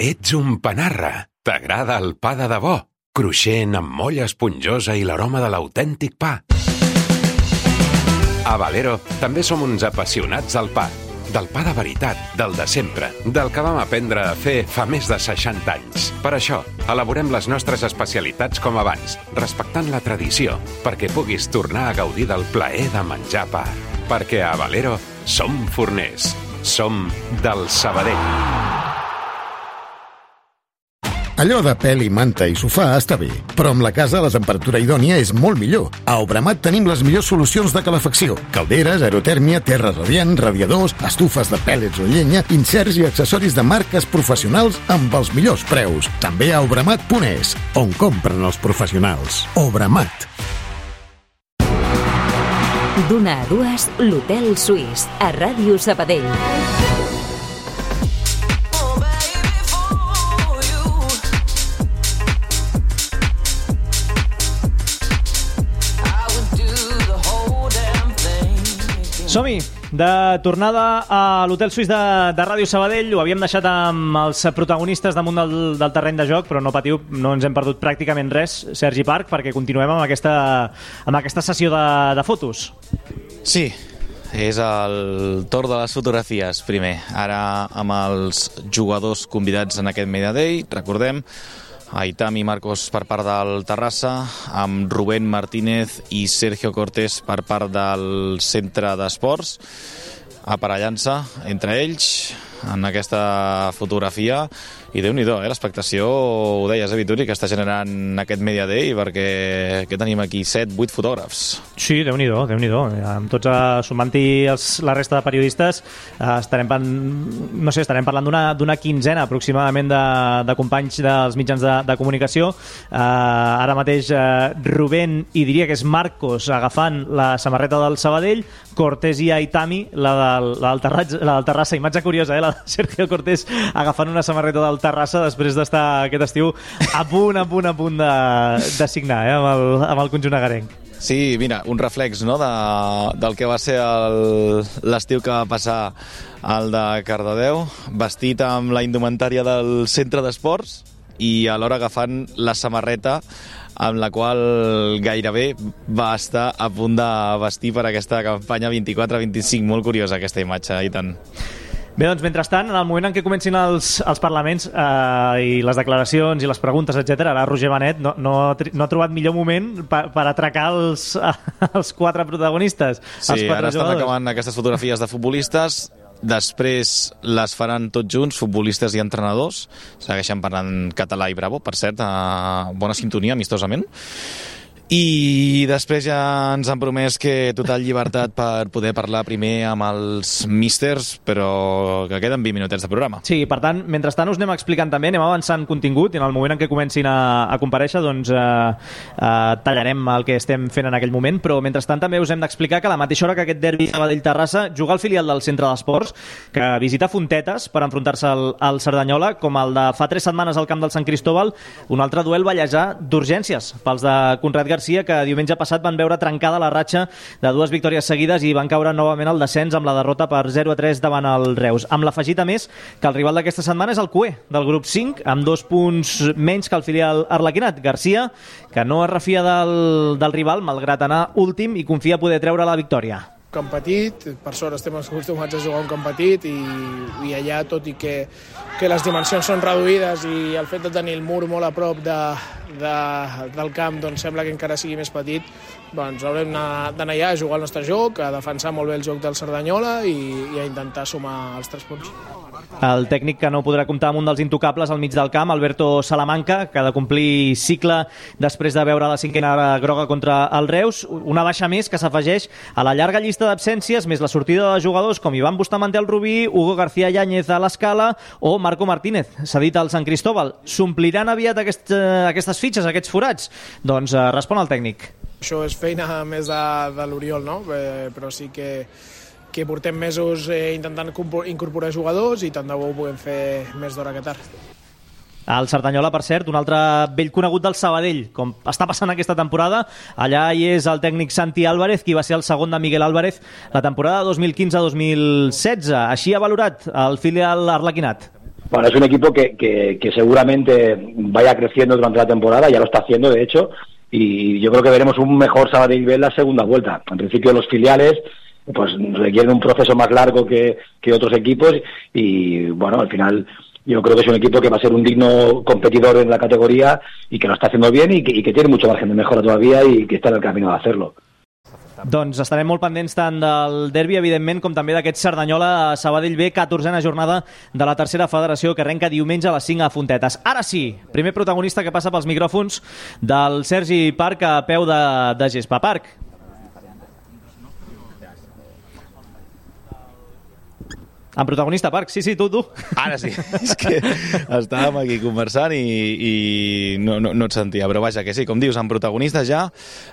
Ets un panarra. T'agrada el pa de debò, cruixent amb molla esponjosa i l'aroma de l'autèntic pa. A Valero també som uns apassionats del pa. Del pa de veritat, del de sempre, del que vam aprendre a fer fa més de seixanta anys. Per això, elaborem les nostres especialitats com abans, respectant la tradició, perquè puguis tornar a gaudir del plaer de menjar pa. Perquè a Valero som forners. Som del Sabadell. Allò de pèl i manta i sofà està bé, però amb la casa la temperatura idònia és molt millor. A Obramat tenim les millors solucions de calefacció. Calderes, aerotèrmia, terra radiant, radiadors, estufes de pèl·lets o llenya, inserts i accessoris de marques professionals amb els millors preus. També a obramat punt es, on compren els professionals. Obramat. D'una a dues, l'Hotel Suís, a Ràdio Sabadell. Som-hi! de tornada a l'Hotel Suís de, de Ràdio Sabadell. Ho havíem deixat amb els protagonistes damunt del, del terreny de joc, però no patiu, no ens hem perdut pràcticament res, Sergi Parc, perquè continuem amb aquesta, amb aquesta sessió de, de fotos. Sí, és el torn de les fotografies primer. Ara amb els jugadors convidats en aquest Media Day, recordem, Aitami i Marcos per part del Terrassa, amb Rubén Martínez i Sergio Cortés per part del Centre d'Esports, aparellant-se entre ells en aquesta fotografia. I Déu-n'hi-do, eh? L'expectació, ho deies, eh, Vituri, que està generant aquest Media Day, perquè que tenim aquí set, vuit fotògrafs. Sí, Déu-n'hi-do, Déu-n'hi-do. Amb tots, uh, sumant-hi els, la resta de periodistes, uh, estarem, pan, no sé, estarem parlant d'una d'una quinzena aproximadament de, de companys dels mitjans de, de comunicació. Uh, ara mateix uh, Rubén, i diria que és Marcos, agafant la samarreta del Sabadell, Cortés i Aitami, la del, la del, Terrassa, la del Terrassa, imatge curiosa, eh? La de Sergio Cortés agafant una samarreta del Terrassa després d'estar aquest estiu a punt, a punt, a punt de, de signar, eh? amb, el, amb el conjunt agarenc. Sí, mira, un reflex, no?, de, del que va ser l'estiu que va passar el de Cardedeu, vestit amb la indumentària del Centre d'Esports i alhora agafant la samarreta amb la qual gairebé va estar a punt de vestir per aquesta campanya vint-i-quatre vint-i-cinc. Molt curiosa aquesta imatge, i tant. Bé, doncs, mentrestant, en el moment en què comencin els, els parlaments eh, i les declaracions i les preguntes, etcètera, ara Roger Benet no, no, no ha trobat millor moment per, per atracar els, els quatre protagonistes. Sí, els quatre ara estan jugadors. acabant aquestes fotografies de futbolistes, després les faran tots junts, futbolistes i entrenadors. Segueixen parlant català i bravo, per cert, a bona sintonia, amistosament. I després ja ens han promès que total llibertat per poder parlar primer amb els místers, però que queden vint minutets de programa. Sí, per tant, mentrestant us anem explicant també, anem avançant contingut, i en el moment en què comencin a, a comparèixer, doncs eh, eh, tallarem el que estem fent en aquell moment, però mentrestant també us hem d'explicar que a la mateixa hora que aquest derbi Sabadell-Terrassa juga el filial del Centre d'Esports, que visita Fontetes per enfrontar-se al, al Cerdanyola, com el de fa tres setmanes al camp del Sant Cristóbal, un altre duel ballesà d'urgències pels de Conrad Garcia, que diumenge passat van veure trencada la ratxa de dues victòries seguides i van caure novament al descens amb la derrota per zero a tres davant el Reus. Amb l'afegit, a més, que el rival d'aquesta setmana és el Cué, del grup cinc, amb dos punts menys que el filial arlequinat. Garcia, que no es refia del, del rival, malgrat anar últim, i confia poder treure la victòria. Camp petit, per sort estem acostumats a jugar un camp petit, i, i allà, tot i que, que les dimensions són reduïdes i el fet de tenir el mur molt a prop de, de, del camp, doncs sembla que encara sigui més petit, doncs haurem d'anar allà a jugar el nostre joc, a defensar molt bé el joc del Cerdanyola i, i a intentar sumar els tres punts. El tècnic que no podrà comptar amb un dels intocables al mig del camp, Alberto Salamanca, que ha de complir cicle després de veure la cinquena groga contra el Reus. Una baixa més que s'afegeix a la llarga llista d'absències, més la sortida de jugadors com Iván Bustamante al Rubí, Hugo García Yáñez a l'Escala o Marco Martínez, cedit al Sant Cristóbal. S'ompliran aviat aquest, aquestes fitxes, aquests forats? Doncs eh, respon el tècnic. Això és feina més de, de l'Oriol, no? Eh, però sí que que portem mesos eh, intentant incorporar jugadors i tant de bo ho puguem fer més d'hora que tard. El Cerdanyola, per cert, un altre vell conegut del Sabadell, com està passant aquesta temporada. Allà hi és el tècnic Santi Álvarez, qui va ser el segon de Miguel Álvarez la temporada dos mil quinze dos mil setze. Així ha valorat el filial arlequinat. Bueno, es un equipo que, que, que seguramente vaya creciendo durante la temporada, ya lo está haciendo, de hecho, y yo creo que veremos un mejor Sabadell B en la segunda vuelta. En principio los filiales pues requieren un proceso más largo que, que otros equipos y bueno, al final yo creo que es un equipo que va a ser un digno competidor en la categoría y que lo está haciendo bien y que, y que tiene mucho margen de mejora todavía y que está en el camino de hacerlo. Doncs estarem molt pendents tant del derbi, evidentment, com també d'aquest Cerdanyola Sabadell B, catorzena jornada de la tercera federació, que arrenca diumenge a les cinc a Fontetes. Ara sí, primer protagonista que passa pels micròfons del Sergi Parc a peu de, de gespa. Parc. En protagonista, Parc, sí, sí, tu, tu. Ara sí, és que estàvem aquí conversant i, i no, no, no et sentia, però vaja, que sí, com dius, en protagonista ja,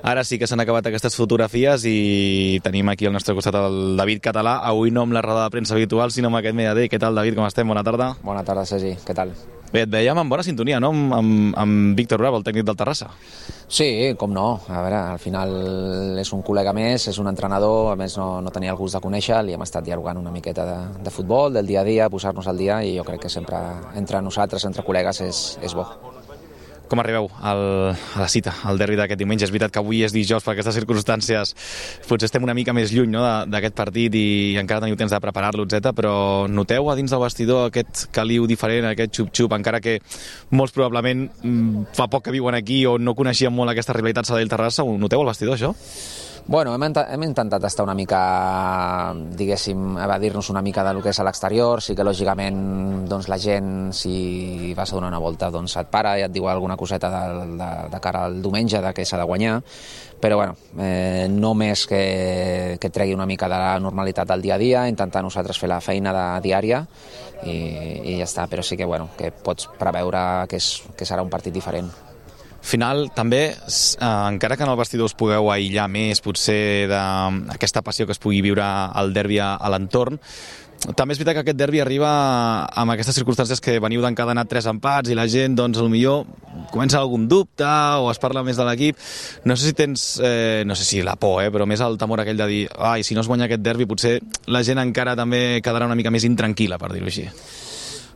ara sí que s'han acabat aquestes fotografies i tenim aquí al nostre costat el David Català, avui no amb la roda de premsa habitual, sinó amb aquest Media Day. Què tal, David, com estem? Bona tarda. Bona tarda, Sergi, què tal? Bé, et veiem en bona sintonia, no?, amb, amb, amb Víctor Bravo, el tècnic del Terrassa. Sí, com no. A veure, al final és un col·lega més, és un entrenador, a més no, no tenia el gust de conèixer, li hem estat dialogant una miqueta de, de futbol, del dia a dia, posar-nos al dia, i jo crec que sempre entre nosaltres, entre col·legues, és, és bo. Com arribeu al, a la cita, al derbi d'aquest diumenge? És veritat que avui és dijous, per aquestes circumstàncies potser estem una mica més lluny, no?, d'aquest partit i encara teniu temps de preparar-lo, etcètera. Però noteu a dins del vestidor aquest caliu diferent, aquest xup-xup, encara que molts probablement fa poc que viuen aquí o no coneixien molt aquesta rivalitat Sabadell-Terrassa, ho noteu al vestidor, això? Bueno, hem, hem intentat estar una mica, diguéssim, evadir-nos una mica del que és a l'exterior. Sí que, lògicament, doncs, la gent, si vas a donar una volta, doncs et para i et diu alguna coseta de, de, de cara al diumenge, de què s'ha de guanyar. Però, bueno, eh, no més que, que tregui una mica de la normalitat del dia a dia, intentar nosaltres fer la feina de diària i, i ja està. Però sí que, bueno, que pots preveure que, és, que serà un partit diferent. Final, també, eh, encara que en el vestidor us pugueu aïllar més, potser d'aquesta passió que es pugui viure al derbi a, a l'entorn, també és veritat que aquest derbi arriba amb aquestes circumstàncies que veniu d'encadenar tres empats i la gent, doncs, potser comença algun dubte o es parla més de l'equip. No sé si tens, eh, no sé si la por, eh, però més el temor aquell de dir, ai, si no es guanya aquest derbi, potser la gent encara també quedarà una mica més intranquil·la, per dir-ho així.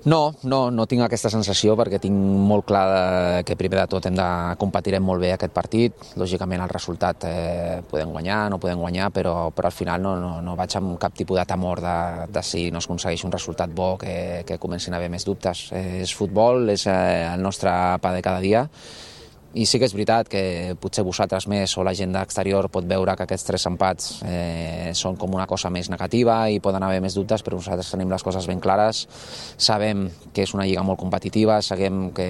No, no, no tinc aquesta sensació perquè tinc molt clar que primer de tot hem de competirem molt bé aquest partit. Lògicament el resultat eh, podem guanyar, no podem guanyar, però, però al final no, no, no vaig amb cap tipus de temor de, de si no es aconsegueix un resultat bo, que, que comencin a haver més dubtes. Eh, és futbol, és eh, el nostre pa de cada dia. I sí que és veritat que potser vosaltres més o la gent d'exterior pot veure que aquests tres empats eh, són com una cosa més negativa i poden haver més dubtes, però nosaltres tenim les coses ben clares. Sabem que és una lliga molt competitiva, sabem que,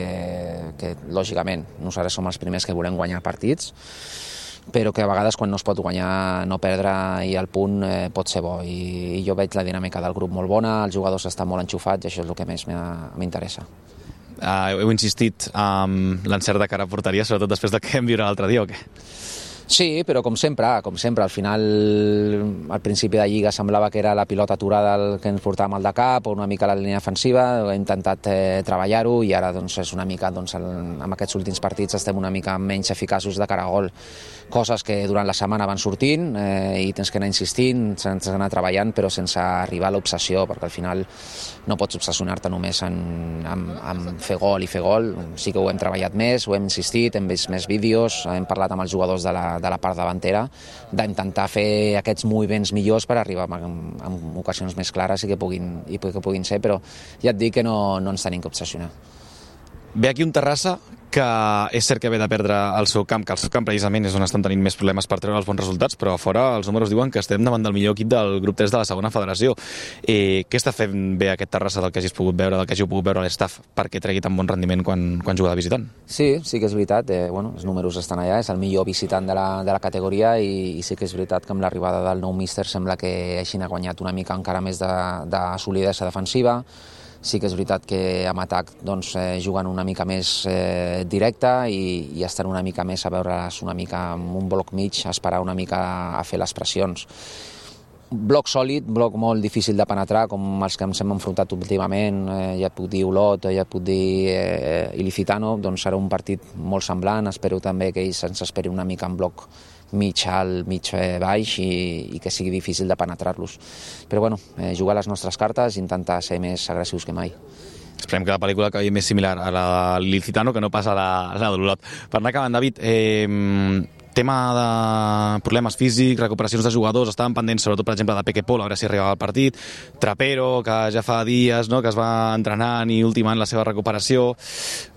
que lògicament, nosaltres som els primers que volem guanyar partits, però que a vegades quan no es pot guanyar, no perdre i el punt eh, pot ser bo. I, i jo veig la dinàmica del grup molt bona, els jugadors estan molt enxufats i això és el que més m'interessa. Uh, heu insistit amb l'encert de cara a porteria, sobretot després del que vam viure l'altre dia, o què? Sí, però com sempre, com sempre, al final, al principi de Lliga semblava que era la pilota aturada el que ens portàvem al de cap, o una mica la línia defensiva, he intentat eh, treballar-ho i ara doncs, és una mica, doncs, el, en aquests últims partits estem una mica menys eficaços de cara a gol. Coses que durant la setmana van sortint eh, i tens que anar insistint, tens que anar treballant, però sense arribar a l'obsessió, perquè al final no pots obsessionar-te només en, en, en fer gol i fer gol. Sí que ho hem treballat més, ho hem insistit, hem vist més vídeos, hem parlat amb els jugadors de la, de la part davantera, d'intentar fer aquests moviments millors per arribar en, en ocasions més clares i que puguin, i que puguin ser, però ja et dic que no, no ens tenim que obsessionar. Ve aquí un Terrassa que és cert que ve de perdre el seu camp, que el seu camp precisament és on estan tenint més problemes per treure els bons resultats, però a fora els números diuen que estem davant del millor equip del grup tres de la segona federació. Eh, què està fent bé aquest Terrassa del que hagis pogut veure, del que hàgiu pogut veure a l'estaf, perquè tregui tan bon rendiment quan, quan juga de visitant? Sí, sí que és veritat, eh, bueno, els números estan allà, és el millor visitant de la, de la categoria i, i sí que és veritat que amb l'arribada del nou míster sembla que hagin guanyat una mica encara més de, de solidesa defensiva. Sí que és veritat que amb atac doncs, eh, juguen una mica més eh, directe i, i estan una mica més a veure's una mica amb un bloc mig, a esperar una mica a fer les pressions. Bloc sòlid, bloc molt difícil de penetrar, com els que ens hem enfrontat últimament, eh, ja et puc dir Olot, ja et puc dir eh, Ilicitano, doncs serà un partit molt semblant, espero també que ells ens esperi una mica en bloc mig alt, mig baix i, i que sigui difícil de penetrar-los. Però bueno, eh, jugar les nostres cartes i intentar ser més agressius que mai. Esperem que la pel·lícula acabi més similar a la de l'Ilicitano que no pas a la, a la de l'Olot. Per anar acabant, David, eh, tema de problemes físics, recuperacions de jugadors, estaven pendents sobretot, per exemple, de Peque Pol, a veure si arribava al partit, Trapero, que ja fa dies, no?, que es va entrenant i ultimant la seva recuperació.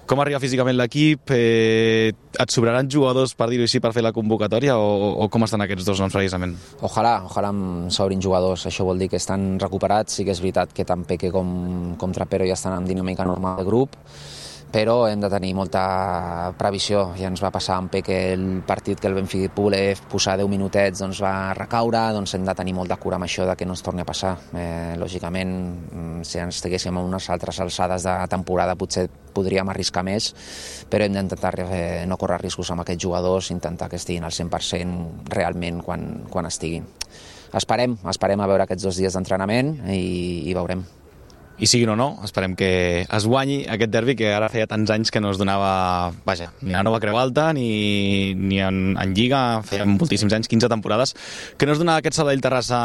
Com arriba físicament l'equip? Eh, et sobraran jugadors, per dir-ho així, per fer la convocatòria, o, o com estan aquests dos noms precisament? Ojalà, ojalà em sobrin jugadors. Això vol dir que estan recuperats. Sí que és veritat que tant Peque com, com Trapero ja estan en dinàmica normal de grup, però hem de tenir molta previsió. Ja ens va passar amb Peque el partit que el vam voler posar deu minutets, doncs va recaure, doncs hem de tenir molta cura amb això de que no ens torni a passar. Eh, lògicament, si ens estiguéssim a unes altres alçades de temporada potser podríem arriscar més, però hem d'intentar eh, no córrer riscos amb aquests jugadors, intentar que estiguin al cent per cent realment quan, quan estiguin. Esperem, esperem a veure aquests dos dies d'entrenament i, i veurem. i siguin o no, esperem que es guanyi aquest derbi que ara feia tants anys que no es donava, vaja, ni a la Nova Creu Alta ni, ni en, en Lliga, feia moltíssims anys, quinze temporades, que no es donava aquest Sabadell-Terrassa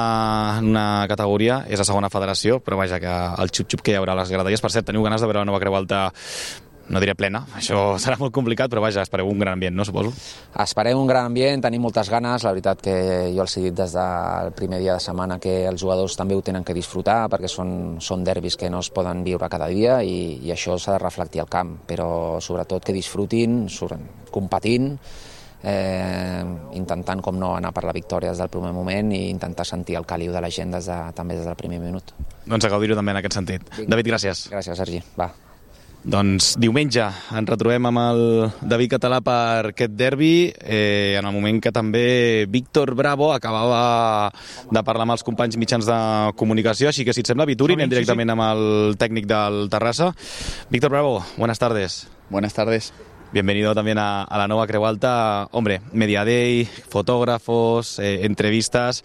en una categoria, és la segona federació, però vaja, que el xup-xup que hi haurà a les graderies. Per cert, teniu ganes de veure la Nova Creu Alta, no diré plena, això serà molt complicat, però vaja, espereu un gran ambient, no, suposo? Esperem un gran ambient, tenim moltes ganes, la veritat que jo els he dit des del primer dia de setmana que els jugadors també ho tenen que disfrutar, perquè són, són derbis que no es poden viure cada dia i, i això s'ha de reflectir al camp, però sobretot que disfrutin, competint, eh, intentant, com no, anar per la victòria des del primer moment i intentar sentir el caliu de la gent des de, també des del primer minut. Doncs a gaudir-ho també en aquest sentit. David, gràcies. Gràcies, Sergi. Va. Doncs diumenge ens retrobem amb el David Català per aquest derbi, eh, en el moment que també Víctor Bravo acabava de parlar amb els companys mitjans de comunicació, així que si et sembla, Vituri, anem directament amb el tècnic del Terrassa. Víctor Bravo, buenas tardes. Buenas tardes. Bienvenido también a, a la Nova Creu Alta. Hombre, Media Day, fotógrafos, eh, entrevistas...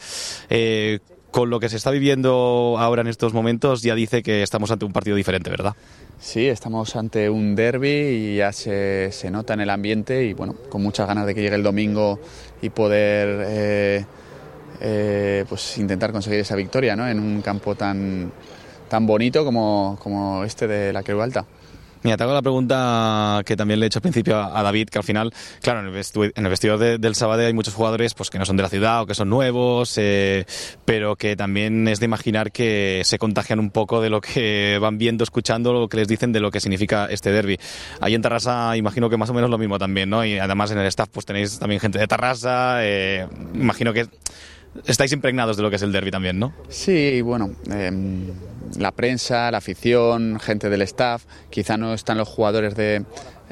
Eh, con lo que se está viviendo ahora en estos momentos, ya dice que estamos ante un partido diferente, ¿verdad? Sí, estamos ante un derbi y ya se, se nota en el ambiente y bueno, con muchas ganas de que llegue el domingo y poder eh, eh, pues intentar conseguir esa victoria, ¿no? En un campo tan, tan bonito como, como este de la Creu Alta. Mira, te hago la pregunta que también le he hecho al principio a David, que al final, claro, en el vestidor, en el vestidor de, del Sabadell hay muchos jugadores pues, que no son de la ciudad o que son nuevos, eh, pero que también es de imaginar que se contagian un poco de lo que van viendo, escuchando, lo que les dicen de lo que significa este derbi. Ahí en Tarrasa imagino que más o menos lo mismo también, ¿no? Y además en el staff pues tenéis también gente de Tarrasa, eh, imagino que... Estáis impregnados de lo que es el derbi también, ¿no? Sí, bueno, eh, la prensa, la afición, gente del staff, quizá no están los jugadores de,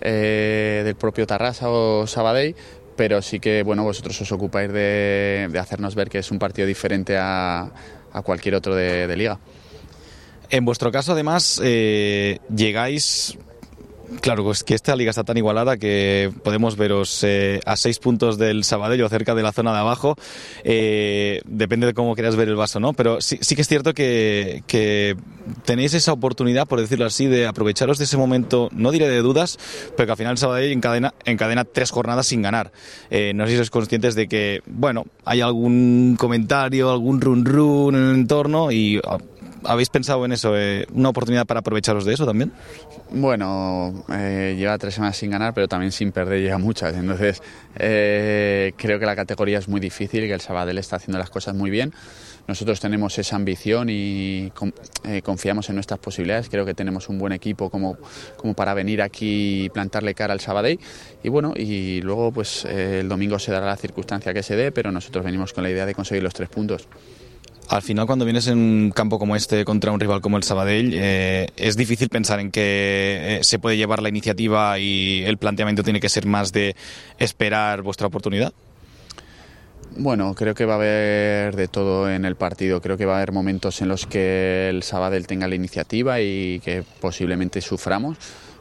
eh, del propio Tarrasa o Sabadell, pero sí que bueno, vosotros os ocupáis de, de hacernos ver que es un partido diferente a, a cualquier otro de, de liga. En vuestro caso, además, eh, llegáis... Claro, pues que esta liga está tan igualada que podemos veros eh, a seis puntos del Sabadell o cerca de la zona de abajo. Eh, depende de cómo quieras ver el vaso, ¿no? Pero sí, sí que es cierto que, que tenéis esa oportunidad, por decirlo así, de aprovecharos de ese momento, no diré de dudas, pero que al final el Sabadell encadena, encadena tres jornadas sin ganar. Eh, no sé si sois conscientes de que, bueno, hay algún comentario, algún run-run en el entorno y... ¿Habéis pensado en eso? Eh, ¿Una oportunidad para aprovecharos de eso también? Bueno, eh, lleva tres semanas sin ganar, pero también sin perder llega muchas. Entonces, eh, creo que la categoría es muy difícil y que el Sabadell está haciendo las cosas muy bien. Nosotros tenemos esa ambición y eh, confiamos en nuestras posibilidades. Creo que tenemos un buen equipo como, como para venir aquí y plantarle cara al Sabadell. Y bueno, y luego pues eh, el domingo se dará la circunstancia que se dé, pero nosotros venimos con la idea de conseguir los tres puntos. Al final, cuando vienes en un campo como este contra un rival como el Sabadell, eh, es difícil pensar en que eh, se puede llevar la iniciativa y el planteamiento tiene que ser más de esperar vuestra oportunidad. Bueno, creo que va a haber de todo en el partido. Creo que va a haber momentos en los que el Sabadell tenga la iniciativa y que posiblemente suframos.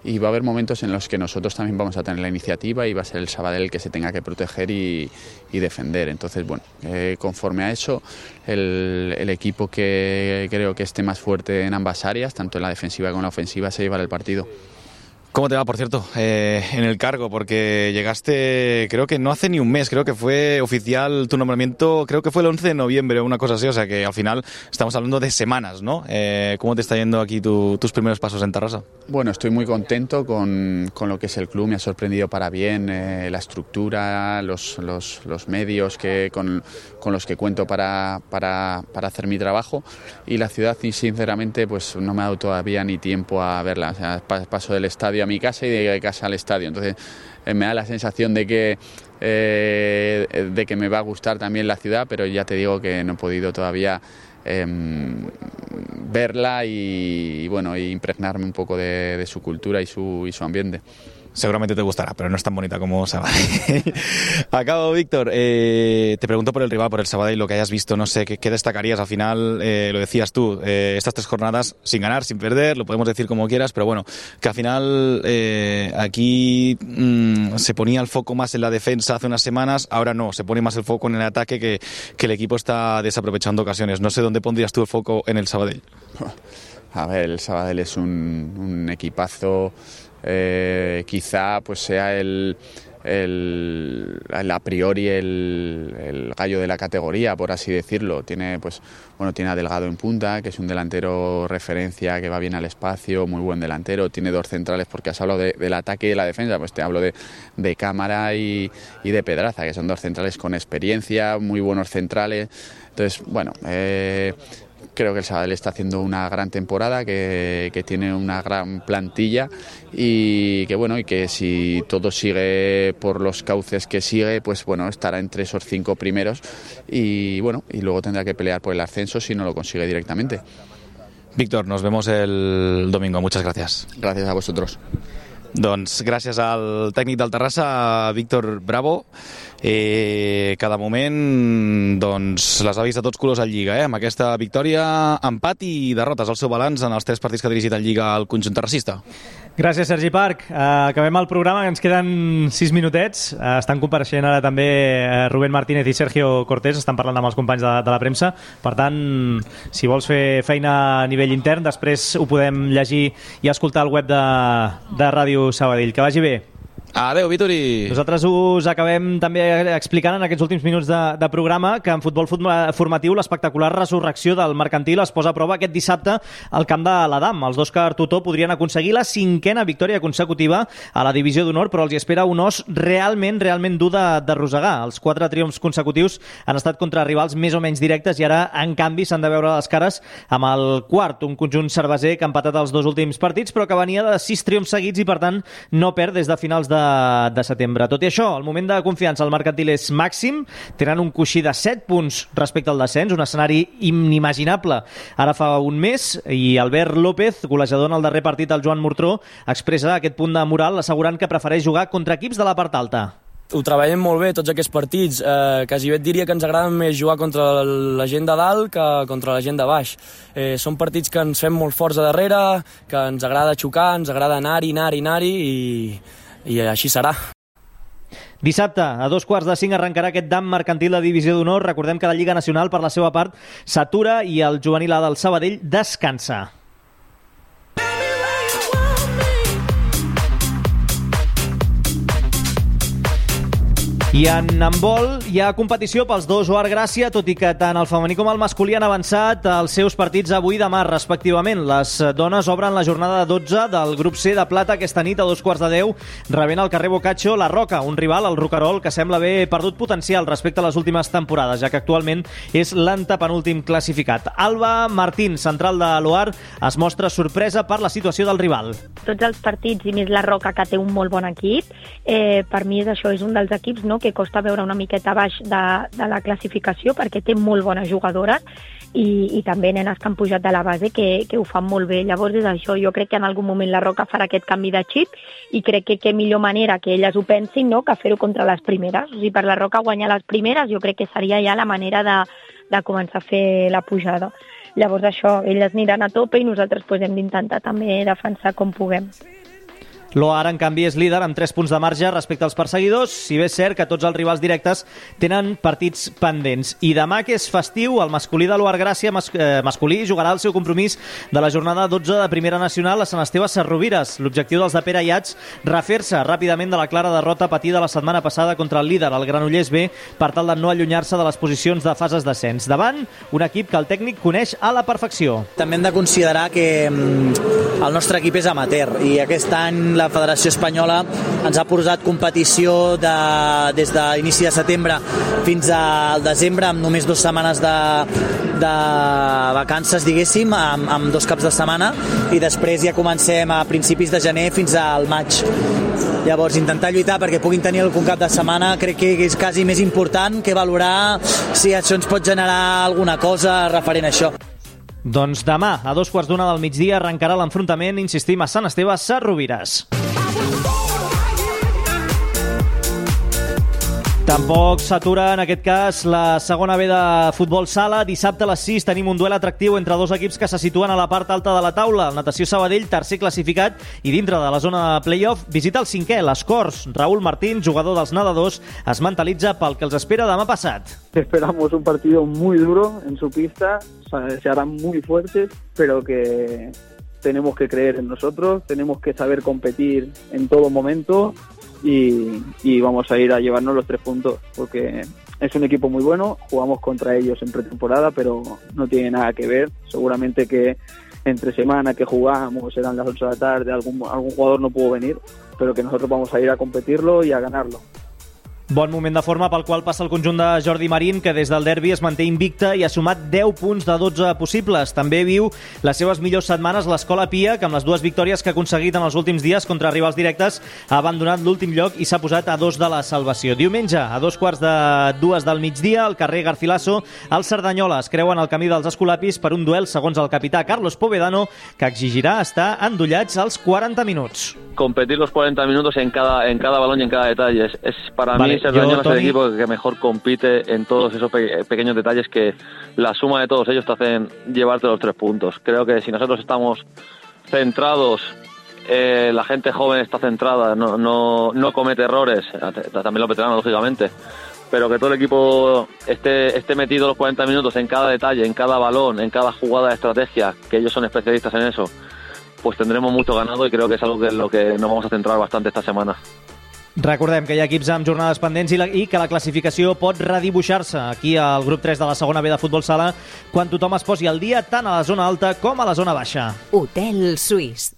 Y va a haber momentos en los que nosotros también vamos a tener la iniciativa y va a ser el Sabadell el que se tenga que proteger y, y defender. Entonces, bueno, eh, conforme a eso, el, el equipo que creo que esté más fuerte en ambas áreas, tanto en la defensiva como en la ofensiva, se llevará el partido. ¿Cómo te va, por cierto, eh, en el cargo? Porque llegaste, creo que no hace ni un mes, creo que fue oficial tu nombramiento, creo que fue el once de noviembre o una cosa así, o sea que al final estamos hablando de semanas, ¿no? Eh, ¿Cómo te está yendo aquí tu, tus primeros pasos en Tarrasa? Bueno, estoy muy contento con, con lo que es el club, me ha sorprendido para bien eh, la estructura, los, los, los medios que, con, con los que cuento para, para, para hacer mi trabajo y la ciudad, sinceramente, pues no me ha dado todavía ni tiempo a verla, o sea, paso del estadio a mi casa y de casa al estadio, entonces eh, me da la sensación de que eh, de que me va a gustar también la ciudad, pero ya te digo que no he podido todavía eh, verla y, y bueno, y impregnarme un poco de, de su cultura y su, y su ambiente. Seguramente te gustará, pero no es tan bonita como Sabadell. Acabo, Víctor. Eh, te pregunto por el rival, por el Sabadell, lo que hayas visto, no sé, ¿qué, qué destacarías? Al final, eh, lo decías tú, eh, estas tres jornadas sin ganar, sin perder, lo podemos decir como quieras, pero bueno, que al final eh, aquí mmm, se ponía el foco más en la defensa hace unas semanas, ahora no, se pone más el foco en el ataque, que, que el equipo está desaprovechando ocasiones. No sé dónde pondrías tú el foco en el Sabadell. A ver, el Sabadell es un, un equipazo, eh, quizá pues sea el, el, el a priori el, el gallo de la categoría, por así decirlo. Tiene, pues, bueno, tiene a Delgado en punta, que es un delantero referencia, que va bien al espacio, muy buen delantero. Tiene dos centrales, porque has hablado de, del ataque y de la defensa, pues te hablo de, de Cámara y, y de Pedraza, que son dos centrales con experiencia, muy buenos centrales. Entonces, bueno, eh, creo que el Sabadell está haciendo una gran temporada, que, que tiene una gran plantilla y que bueno, y que si todo sigue por los cauces que sigue, pues bueno, estará entre esos cinco primeros y bueno, y luego tendrá que pelear por el ascenso si no lo consigue directamente. Víctor, nos vemos el domingo. Muchas gracias. Gracias a vosotros. Doncs gràcies al tècnic del Terrassa, Víctor Bravo, eh, que de moment doncs, les ha vist de tots colors en Lliga, eh? Amb aquesta victòria, empat i derrotes al seu balanç en els tres partits que ha dirigit en Lliga al conjunt terrassista. Gràcies, Sergi Parc. Uh, acabem el programa, que ens queden sis minutets. Uh, estan compareixent ara també uh, Rubén Martínez i Sergio Cortés, estan parlant amb els companys de, de la premsa. Per tant, si vols fer feina a nivell intern, després ho podem llegir i escoltar al web de, de Ràdio Sabadell. Que vagi bé. Adéu, Vitori. Nosaltres us acabem també explicant en aquests últims minuts de, de programa que en futbol formatiu l'espectacular resurrecció del Mercantil es posa a prova aquest dissabte al camp de l'Adam. Els dos Cartutó podrien aconseguir la cinquena victòria consecutiva a la divisió d'honor, però els hi espera un os realment, realment dur de, de rosegar. Els quatre triomfs consecutius han estat contra rivals més o menys directes i ara, en canvi, s'han de veure les cares amb el quart, un conjunt cerveser que ha empatat els dos últims partits, però que venia de sis triomfs seguits i, per tant, no perd des de finals de de setembre. Tot i això, el moment de confiança al Mercantil és màxim, tenen un coixí de set punts respecte al descens, un escenari inimaginable ara fa un mes, i Albert López, golejador en el darrer partit del Joan Mortró, expressa aquest punt de moral assegurant que prefereix jugar contra equips de la part alta. Ho treballem molt bé, tots aquests partits. Eh, quasi bé et diria que ens agrada més jugar contra la gent de dalt que contra la gent de baix. Eh, són partits que ens fem molt forts a darrere, que ens agrada xocar, ens agrada anar-hi, anar-hi, anar-hi, i i així serà. Dissabte, a dos quarts de cinc, arrencarà aquest D A M Mercantil de Divisió d'Honor. Recordem que la Lliga Nacional, per la seva part, s'atura i el juvenil A del Sabadell descansa. I en handbol hi ha competició pels dos O A R Gràcia, tot i que tant el femení com el masculí han avançat els seus partits avui i demà, respectivament. Les dones obren la jornada de dotze del grup C de plata aquesta nit a dos quarts de deu, rebent al carrer Boccaccio la Roca, un rival, el Rocarol, que sembla haver perdut potencial respecte a les últimes temporades, ja que actualment és l'antepenúltim classificat. Alba Martín, central de l'O A R, es mostra sorpresa per la situació del rival. Tots els partits, i més la Roca, que té un molt bon equip, eh, per mi és això, és un dels equips, no?, que costa veure una miqueta baix de, de la classificació, perquè té molt bones jugadores i, i també nenes que han pujat de la base que, que ho fan molt bé. Llavors és això, jo crec que en algun moment la Roca farà aquest canvi de xip i crec que què millor manera que elles ho pensin, no?, que fer-ho contra les primeres. O sigui, per la Roca guanyar les primeres jo crec que seria ja la manera de, de començar a fer la pujada. Llavors això, elles aniran a tope i nosaltres pues, hem d'intentar també defensar com puguem. L'O A R, en canvi, és líder amb tres punts de marge respecte als perseguidors, si bé és cert que tots els rivals directes tenen partits pendents. I demà, que és festiu, el masculí de l'O A R Gràcia mas eh, masculí jugarà el seu compromís de la jornada dotze de Primera Nacional a Sant Esteve Sesrovires. L'objectiu dels de Pere Iats, refer-se ràpidament de la clara derrota patida la setmana passada contra el líder, el Granollers B, per tal de no allunyar-se de les posicions de fases d'ascens. Davant, un equip que el tècnic coneix a la perfecció. També hem de considerar que el nostre equip és amateur i aquest any la La Federació Espanyola ens ha posat competició de, des d'inici de setembre fins al desembre, amb només dues setmanes de, de vacances, diguéssim, amb, amb dos caps de setmana, i després ja comencem a principis de gener fins al maig. Llavors, intentar lluitar perquè puguin tenir algun cap de setmana crec que és quasi més important que valorar si això ens pot generar alguna cosa referent a això. Doncs demà, a dos quarts d'una del migdia, arrencarà l'enfrontament, insistim, a Sant Esteve Sesrovires. Tampoc s'atura, en aquest cas, la segona B de futbol sala. Dissabte a les sis tenim un duel atractiu entre dos equips que se situen a la part alta de la taula. El Natació Sabadell, tercer classificat, i dintre de la zona de play-off, visita el cinquè, les Corts. Raúl Martín, jugador dels nedadors, es mentalitza pel que els espera demà passat. Esperamos un partido muy duro en su pista, se harán muy fuertes, pero que tenemos que creer en nosotros, tenemos que saber competir en todo momento. Y, y vamos a ir a llevarnos los tres puntos, porque es un equipo muy bueno, jugamos contra ellos en pretemporada, pero no tiene nada que ver. Seguramente que entre semana que jugamos, serán las ocho de la tarde, algún, algún jugador no pudo venir, pero que nosotros vamos a ir a competirlo y a ganarlo. Bon moment de forma pel qual passa el conjunt de Jordi Marín, que des del derbi es manté invicta i ha sumat deu punts de dotze possibles. També viu les seves millors setmanes l'Escola Pia, que amb les dues victòries que ha aconseguit en els últims dies contra rivals directes ha abandonat l'últim lloc i s'ha posat a dos de la salvació. Diumenge, a dos quarts de dues del migdia, al carrer Garcilaso, els Cerdanyola es creuen el camí dels escolapis per un duel, segons el capità Carlos Povedano, que exigirà estar endollats als quaranta minuts. Competir los cuarenta minutos en cada en cada balón y en cada detalle. Es, es para vale, mí Cerdanyola es el equipo que mejor compite en todos esos pe pequeños detalles que la suma de todos ellos te hacen llevarte los tres puntos. Creo que si nosotros estamos centrados, eh, la gente joven está centrada, no, no, no comete errores, también los veteranos lógicamente, pero que todo el equipo esté, esté metido los cuarenta minutos en cada detalle, en cada balón, en cada jugada de estrategia, que ellos son especialistas en eso, pues tendremos mucho ganado y creo que es algo que en lo que nos vamos a centrar bastante esta semana. Recordem que hi ha equips amb jornades pendents i, la, i que la classificació pot redibuixar-se aquí al grup tres de la segona B de futbol sala quan tothom es posi al dia tant a la zona alta com a la zona baixa. Hotel Suís.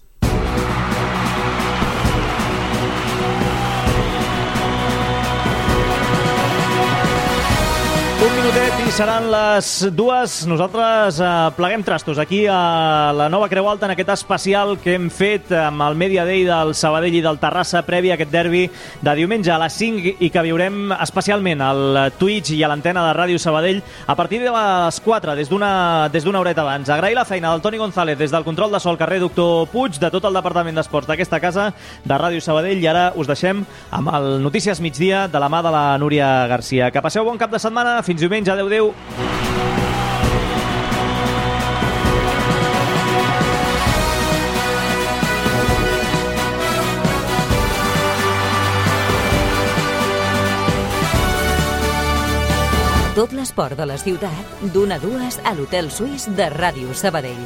Un minutet i seran les dues. Nosaltres eh, pleguem trastos aquí a la Nova Creu Alta en aquest especial que hem fet amb el Media Day del Sabadell i del Terrassa previ a aquest derbi de diumenge a les cinc i que viurem especialment al Twitch i a l'antena de Ràdio Sabadell a partir de les quatre, des d'una des d'una horeta abans. Agrair la feina del Toni González des del control de so al carrer Doctor Puig, de tot el Departament d'Esports d'aquesta casa de Ràdio Sabadell, i ara us deixem amb el Notícies Migdia de la mà de la Núria Garcia. Que passeu bon cap de setmana. Fins diumenge. Adéu, adéu. Tot l'esport de la ciutat, d'una a dues a l'Hotel Suís de Ràdio Sabadell.